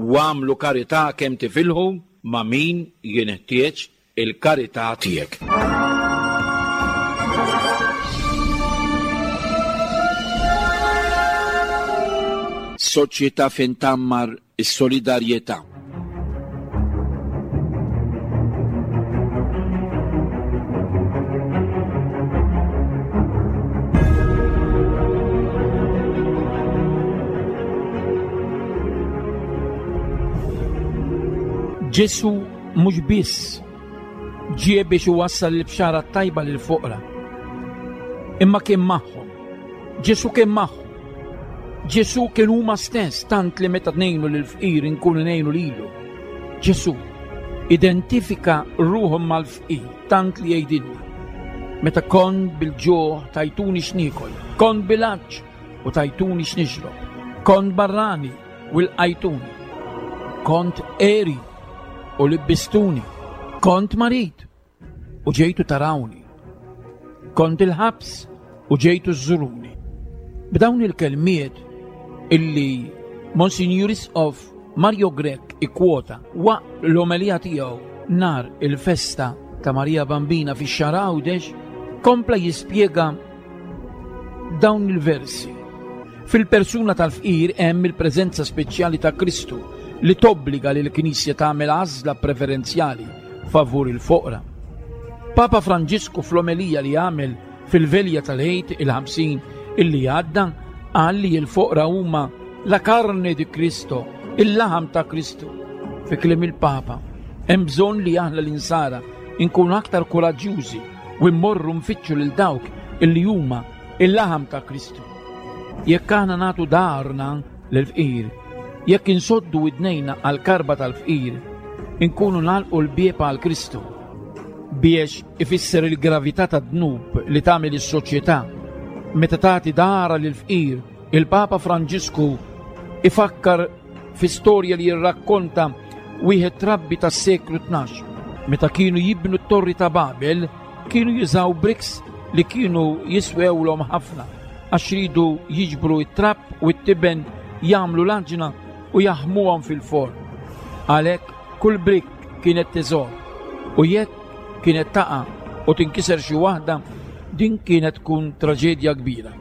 u għamlu karità kemm tifilħu ma' min jinħtieġ il-karità tiegħek. Soċjetà fejn tgħammar is-solidarjetà. Ġesù mhux biss ġie biex iwassal il-bxara tajba lil foqra, imma kien magħhom. Ġesù kien magħhom. Ġesù kien huma stess, tant li meta ngħinu lil fqir inkunu ngħinu lilu. Ġesù identifika ruħhom mal-fqir, tant li jgħidilna: meta kont bil-ġuħ tajtuni x'niekol, kont bil-għatx u tajtuni x'nixrob, kont barrani u lqajtuni, kont għeri u libbistuni, kont marid u ġejtu tarawni, kont il-ħabs u ġejtu żżuruni. B'dawn il-kelmiet illi Monsignor Isqof Mario Grech ikkwota waqt l-omelija tiegħu nar il-festa ta' Marija Bambina fix-Xagħra Għawdex, kompla jispjega dawn il-versi. Fil-persuna tal-fqir hemm il-preżenza speċjali ta' Kristu li tobbliga lil Knisja tagħmel għażla preferenzjali favur il-foqra. Papa Franġisku fl-omelija li għamel fil-velja tal-Għid il-ħamsin illi għadda qal li l-foqra huma la carne di Cristo, il-laħam ta' Kristu. Fi kliem il-Papa, hemm bżonn li aħna l-insara nkunu aktar kuraġġjużi u mmorru nfittxu lil dawk illi huma il-laħam ta' Kristu. Jekk aħna nagħtu darna lill-fqir, jekk insoddu widnejna għall-karba tal-fqir, inkunu nagħlqu l-bieb għal Kristu. Biex ifisser il-gravità tad-dnub li tagħmel is-soċjetà meta tagħti dara lill-fqir, il-Papa Franġisku ifakkar fi storja li jirrakkonta wieħed trabbi tas-seklu tnax. Meta kienu jibnu t-torri ta' Babel, kienu jużaw bricks li kienu jiswewlhom ħafna għax ridu jiġbru t-trab u t-tiben, jagħmlu l-għaġna u jaħmuhom fil-forn. Għalhekk kull brick kienet teżor, u jekk kienet taqa' u tinkiser xi waħda, din kienet tkun traġedja kbira.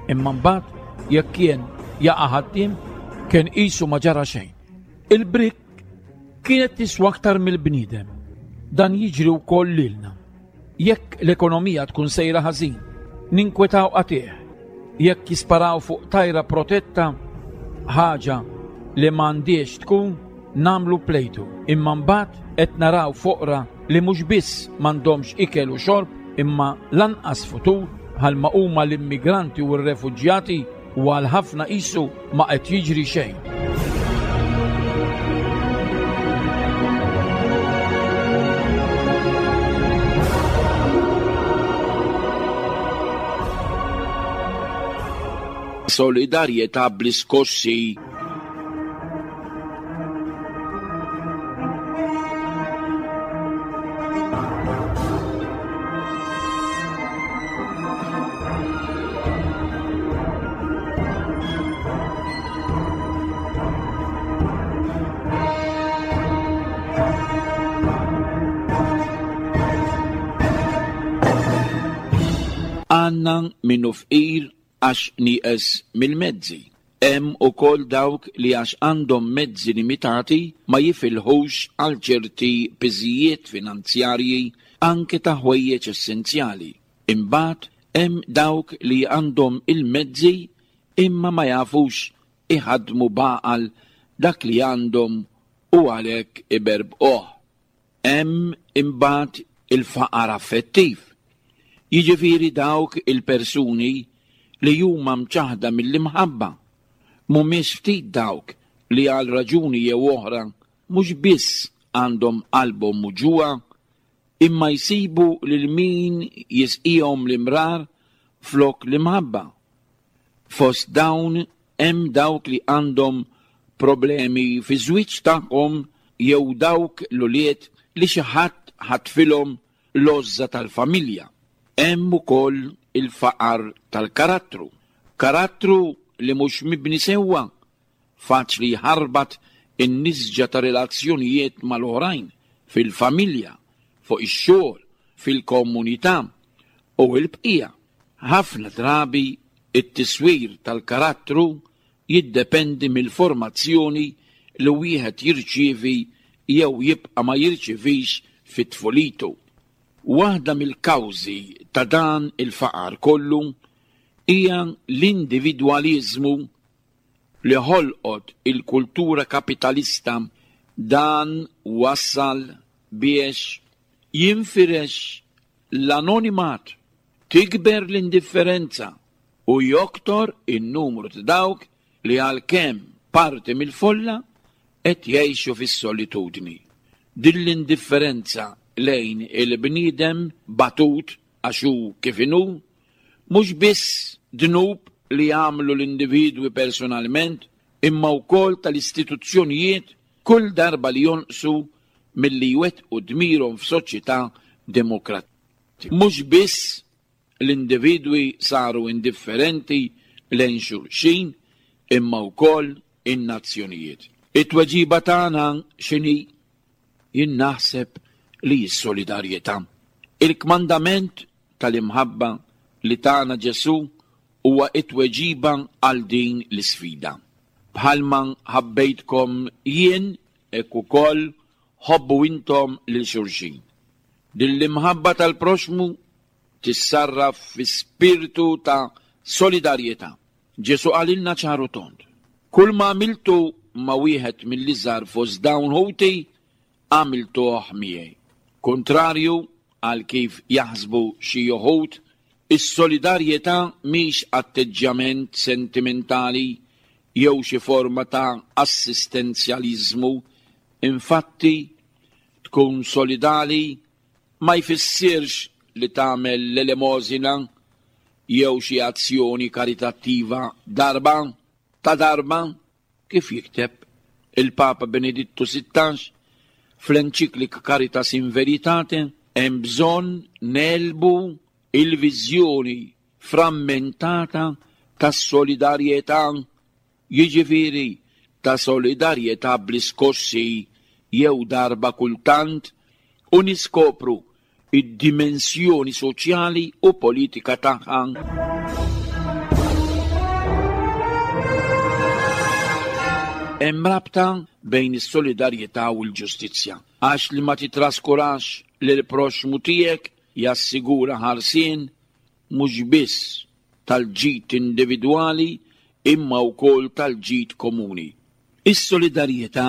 Imma mbagħad jekk kien jaqa' ħaddiem, kien qisu ma ġara xejn. Il-brick kienet tiswa aktar mill-bniedem. Dan jiġri wkoll lilna. Jekk l-ekonomija tkun sejra ħażin, ninkwetaw qatih. Jekk jisparaw fuq tajra protetta, ħaġa li m'għandix tkun, namlu plejtu. Imma mbagħad qed naraw foqra li mhux biss m'għandhomx ikel u xorb, imma lanqas futur bħalma huma l-immigranti u r-refuġjati u għal ħafna qisu ma qed jiġri xejn. Solidarjetà bl-iskossi. Għanna minnu fqir għax nieqes mill-mezzi. Hemm ukoll dawk li għax għandhom mezzi limitati ma jifilħux għal ċerti piżijiet finanzjarji anke ta' ħwejjeġ essenzjali. Imbagħad hemm dawk li għandhom il-mezzi imma ma jafux iħadmu baqal dak li għandhom u għalhekk iberbquh. Hemm imbagħad il-faqar affettiv. Jiġifieri dawk il-persuni li huma mċaħda mill-imħabba, mhumiex ftit dawk li għal raġuni jew oħra mhux biss għandhom qalbhom muġugħa, imma jsibu lil min jisqihom l-imrar flok l-imħabba. Fost dawn hemm dawk li għandhom problemi fi żwieġ tagħhom jew dawk l-ulied li xi ħadd ħatfilhom l-għożża tal-familja. Hemm ukoll il-faqar tal-karattru. Karattru li mhux mibni sewwa, faċli jħarbat in-nisġa ta' relazzjonijiet mal-oħrajn, fil-familja, fuq ix-xogħol, fil-komunità u l-bqija. Ħafna drabi it-tiswir tal-karattru jiddependi mill-formazzjoni li wieħed jirċievi jew jibqa' ma jirċivix fit-tfulitu. Waħda mill-kawżi ta' dan il-faqar kollu hija l-individwaliżmu li ħolqot il-kultura kapitalista. Dan wassal biex jinfirex l-anonimat, tikber l-indifferenza u joktor in-numru ta' dawk li għalkemm parti mill-folla qed jgħixu fis-solitudni. Din l-indifferenza lejn il-bniedem batut għax hu kif inhu, mhux biss dnub li jagħmlu l-individwi personalment, imma wkoll tal-istituzzjonijiet kull darba li jonqsu milli jwettqu dmirhom f'soċjetà demokratika. Mhux biss l-individwi saru indifferenti lejn xulxin, imma wkoll in-nazzjonijiet. It-tweġiba tagħna x'inhi? Jien naħseb li s-solidarjetà. Il-kmandament tal-imħabba li tagħna Ġesù huwa it-tweġiba għal din l-isfida. Bħalma ħabbejtkom jien, hekk ukoll ħobbu intom lil xulxin. Din l-imħabba tal-proxmu tissarraf fi spiritu ta' solidarjetà. Ġesù qalilna ċaru tond: kull ma għamiltu ma' wieħed mill-iżgħar fost dawn ħuti, għamiltuh miegħi. Kontrarju għal kif jaħsbu xi uħud, is-solidarjetà mhix atteġġjament sentimentali jew xi forma ta' assistenzjaliżmu. Infatti, tkun solidali ma jfissirx li tagħmel l-elemosina jew xi azzjoni karitattiva darba ta' darba, kif jikteb il-Papa Benedittu sittax fl-enċiklika Caritas in Veritate. Hemm bżonn nelbu il-viżjoni frammentata tas-solidarjetà, jiġifieri ta' solidarjetà bl-iskossi jew darba kultant, u niskopru id-dimensjoni soċjali u politika tagħha. Hemm rabta bejn is-solidarjetà u l-ġustizzja, għax li ma titraskurax lil proxmu tiegħek jassigura ħarsien mhux biss tal-ġid individwali imma wkoll tal-ġid komuni. Is-solidarjetà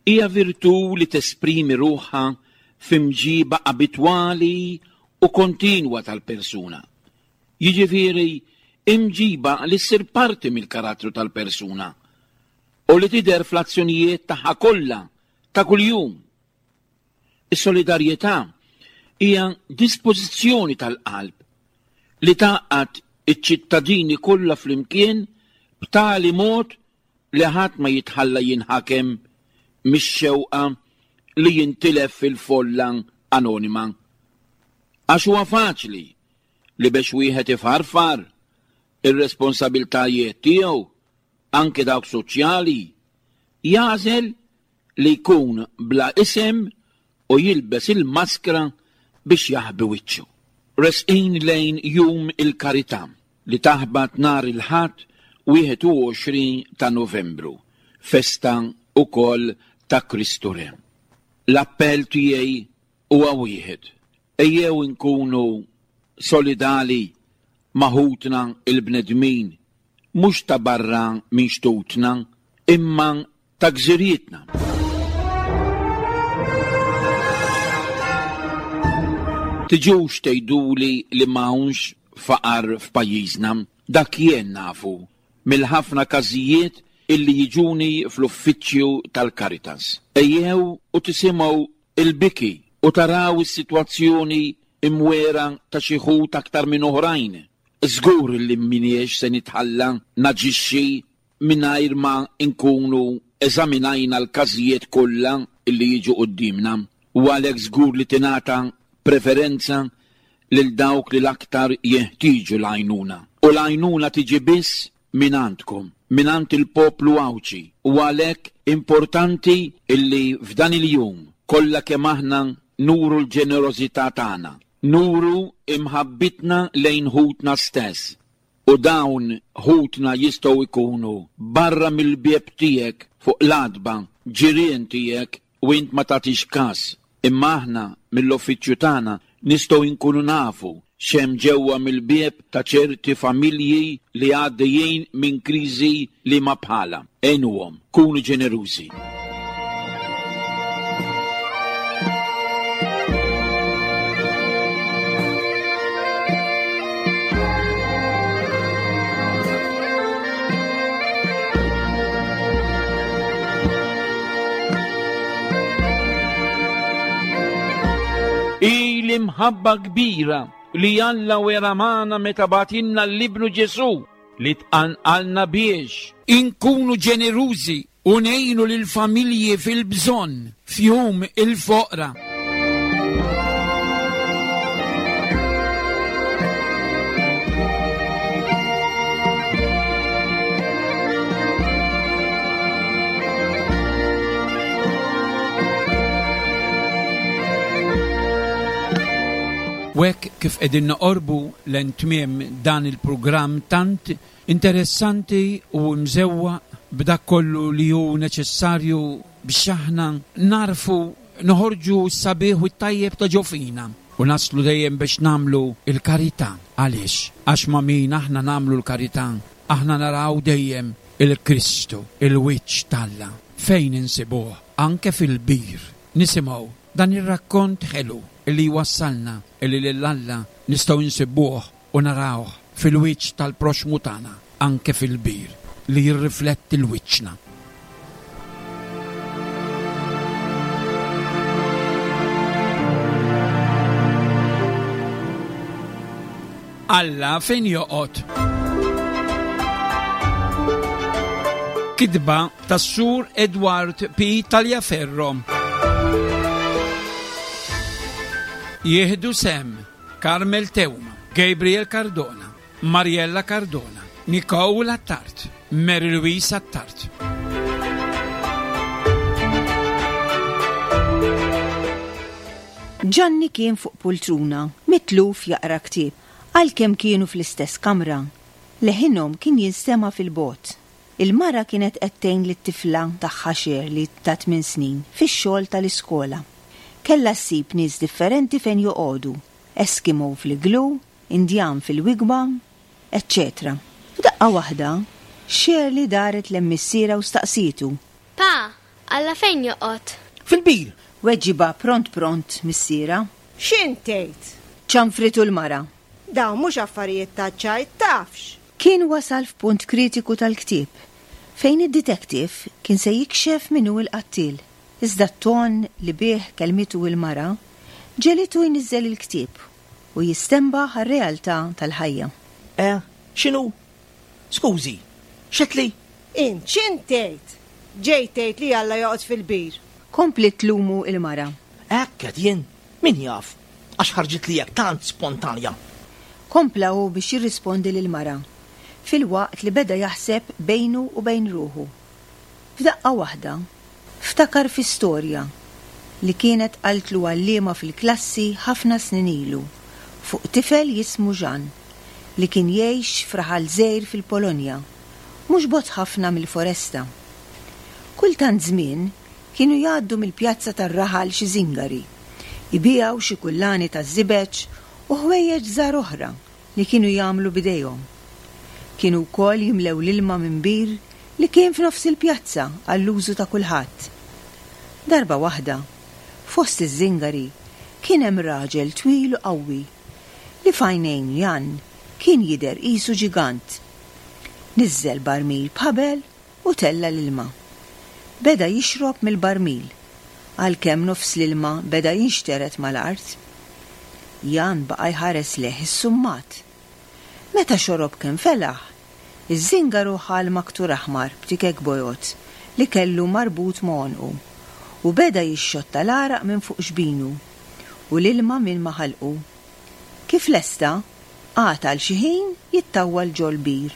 hija virtù li tesprimi ruħha f'imġiba abitwali u kontinwa tal-persuna. Jiġifieri Imġiba li ssir parti mill-karattru tal-persuna u li tidher fl-azzjonijiet tagħha kollha ta' kuljum. Is-solidarjetà hija dispożizzjoni tal-qalb li tgħaqqad iċ-ċittadini kollha flimkien b'tali mod li ħadd ma jitħalla jinħakem mix-xewqa li jintilef fil-folla anonima. Għax huwa faċli li biex wieħed ifarfar ir-responsabiltajiet tiegħu, anke dawk soċjali, jagħżel li jkun bla isem u jilbes il-maskra biex jaħbi wiċċu. Resqin lejn Jum il-Karità li taħbat nhar il-Ħadd wieħed u għoxrin ta' Novembru, festa wkoll ta' Kristu Re. L-appell tiegħi huwa wieħed: ejjew inkunu solidali ma' ħutna il-bnedmin, mhux ta' barra minn xtutna, imma ta' gżirietna. Tiġux tgħiduli li m'hawnx faqar f'pajjiżna, dak jien nafu mill-ħafna każijiet illi jiġuni fl-uffiċċju tal-Caritas. Ejjew u tisimgħu il-biki u taraw is-sitwazzjoni imwera ta' xi ħut aktar minn oħrajn. Żgur li m'iniex se nitħalla naġixxi mingħajr ma nkunu eżaminajna l-każijiet kollha illi jiġu quddiemna, u għalhekk żgur li tingħata preferenza lil dawk li l-aktar jeħtieġu l-għajnuna. U l-għajnuna tiġi biss minn għandkom, minn għand il-poplu Għawdxi, u għalhekk importanti illi f'dan il-jum kollha kemm aħna nuru l-ġenerożità tagħna, nuru imħabbitna lejn ħutna stess. U dawn ħutna jistgħu jkunu barra mill-bieb tiegħek fuq l-għatba, ġirien tiegħek, u int ma tagħtix każ. Imma aħna mill-uffiċċju tagħna nistgħu nkunu nafu x'hemm ġewwa mill-bieb ta' ċerti familji li għaddejjin minn kriżi li ma bħala. Għinuhom, kunu ġenerużi. Hi l-imħabba kbira li Alla wera magħna meta bagħtilna l-Ibnu Ġesù li tqanqalna biex inkunu ġenerużi u ngħinu lill-familji fil-bżonn f'jum il-foqra. U hekk kif qegħdin noqorbu lejn tmiem dan il-programm tant interessanti u mżewwaq b'dak kollu li hu neċessarju biex aħna narfu noħorġu s-sabiħ u t-tajjeb ta' ġo fina u naslu dejjem biex nagħmlu l-karità. Għaliex? Għax ma' min aħna nagħmlu l-karità, aħna naraw dejjem il-Kristu, il-wiċċ t'Alla. Fejn insibuh? Anke fil-bir. Nisimgħu dan ir-rakkont ħelu li jwassalna illi lil Alla nistgħu nsibuh u narawh fil-wiċċ tal-proxmu tagħna, anke fil-bir li jirrifletti l-wiċċna. Alla fejn joqgħod? Kitba tas-Sur Edward P. Taliaferro. Jieħdu sem Carmel Teuma, Gabriel Cardona, Mariella Cardona, Nicole Attard, Mary Louise Attard. Gianni kien fuq pultruna, mitluf jaqra ktieb, għalkemm kienu fl-istess kamra. Leħinhom kien jinstema' fil-bogħod. Il-mara kienet qed tgħin lit-tifla tagħha Shirley ta' tmien snin fix-xogħol tal-iskola. Kellha ssib nies differenti fejn joqogħdu, Eskimo fl-iglu, Indjan fil-wigwam, eċċetera. F'daqqa waħda, Shirley daret lejn missierha u staqsietu. Pa, Alla fejn joqgħod? Fil-bir. Weġiba pront pront missierha. X'int tgħid? Ċanfritu l-mara. Dawn mhux affarijiet ta' ċajt tafx. Kien wasal f'punt kritiku tal-ktieb fejn id-detective kien se jikxef min hu l-qattiel. Iżda t-ton li bih kelmitu il-mara ġegħlitu jniżżel il-ktieb u jistenbaħ għar-realtà tal-ħajja. Eh, x'inhu? Skużi, x'għedtli? Int x'int tgħid? Ġejt tgħid li Alla joqgħod fil-bir. Kompliet tlumu il-mara. Hekk qed jien, min jaf, għax ħarġit li hekk tant spontanja. Kompla hu biex jirrispondi lill-mara, filwaqt li beda jaħseb bejnu u bejn ruħu. F'daqqa waħda, ftakar fi storja li kienet qaltlu għalliema fil-klassi ħafna snin ilu fuq tifel jismu Ġan li kien jgħix f'raħal żgħir fil-Polonja, mhux bogħod ħafna mill-foresta. Kultant żmien kienu jgħaddu mill-pjazza tar-raħal xi żingari, ibigħu xi kullani taż-żibeġ u ħwejjeġ żgħar oħra li kienu jagħmlu bidejhom. Kienu wkoll jimlew l-ilma minn bir li kien f'nofs il-pjazza għall-użu ta' kulħadd. Darba waħda, fost iż-żingari, kien hemm raġel twil u qawwi li f'għajnejn Jan kien jidher qisu ġigant. Niżżel barmil b'ħabel u tella l-ilma. Beda jixrob mill-barmil, għalkemm nofs l-ilma beda jinxteret mal-art. Jan baqa' jħares lejh issummat. Meta xorob kemm felaħ, iż-żingaru ħa l-maktur aħmar b'tikek bojod li kellu marbut ma' għonqu u beda jixxotta l-għaraq minn fuq xbinu u l-ilma minn ma' ħalqu. Kif lesta, qagħad għal xi ħin jittawwal ġol-bir.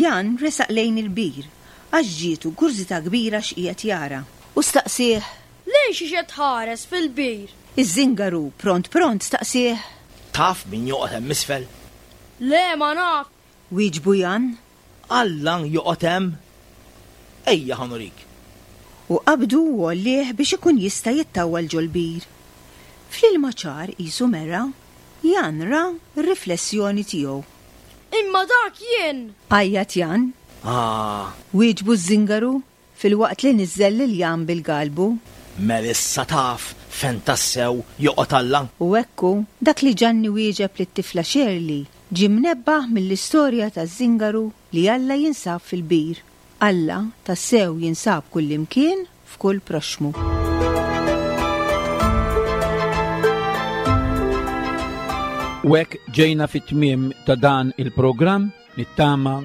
Jan resaq lejn il-bir għax ġietu kurżità kbira x'qiegħed jara u staqsieh. Lejn xiex qed tħares fil-bir? Iż-żingaru pront pront staqsieh. Taf min joqgħod hemm isfel? Le, ma naf. Wieġbu Jan. Alla joqgħod hemm. Ejja ħa nurik. U qabdu u għollieh biex ikun jista' jittawwal ġol-bir. Fl-ilma ċar qisu mera, Jan ra r-riflessjoni tiegħu. Imma dak jien! Għajjat Jan. Ah. Wieġbu ż-żingaru filwaqt li niżżel lil Jan bil-galbu. Mela issa taf fejn tassew joqgħod Alla. U ekku, dak li Ġanni wieġeb lit-tifla Shirley ġie mnebbaħ mill-istorja taż-żingaru li Alla jinsab fil-bir. Alla tassew jinsab kullimkien f'kull proxxmu. U hekk ġejna fit-tmiem ta' dan il-programm, nittama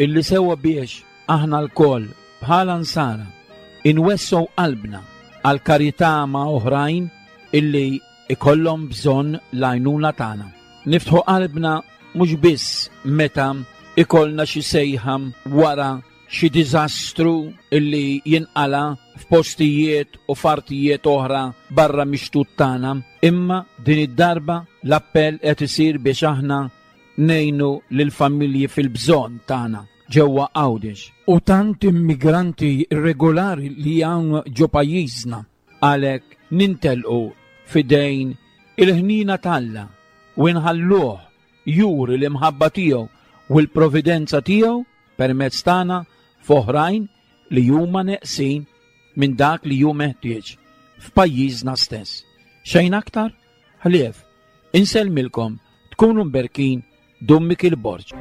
illi sewwa biex aħna lkoll bħala nsara inwessgħu qalbna għal karità ma' oħrajn illi ikollhom bżonn l-għajnuna tagħna. Niftħu qalbna mhux biss meta ikollna xi sejħa wara xi diżastru illi jinqala f'postijiet u f'artijiet oħra barra mix-xtut tagħna, imma din id-darba l-appell qed isir biex aħna ngħinu lill-familji fil-bżonn tagħna ġewwa Għawdex. U tant immigranti irregolari li hawn ġo pajjiżna, għalhekk nintelqu f'idejn il-ħnina t'Alla u nħalluh juri l-imħabba tiegħu u l-providenza tiegħu permezz tagħna f'oħrajn li huma neqsin minn dak li hu meħtieġ f'pajjiżna stess. Xejn aktar? Ħlief, insellmilkom, tkunu mberkin, Dun Mikiel Borg.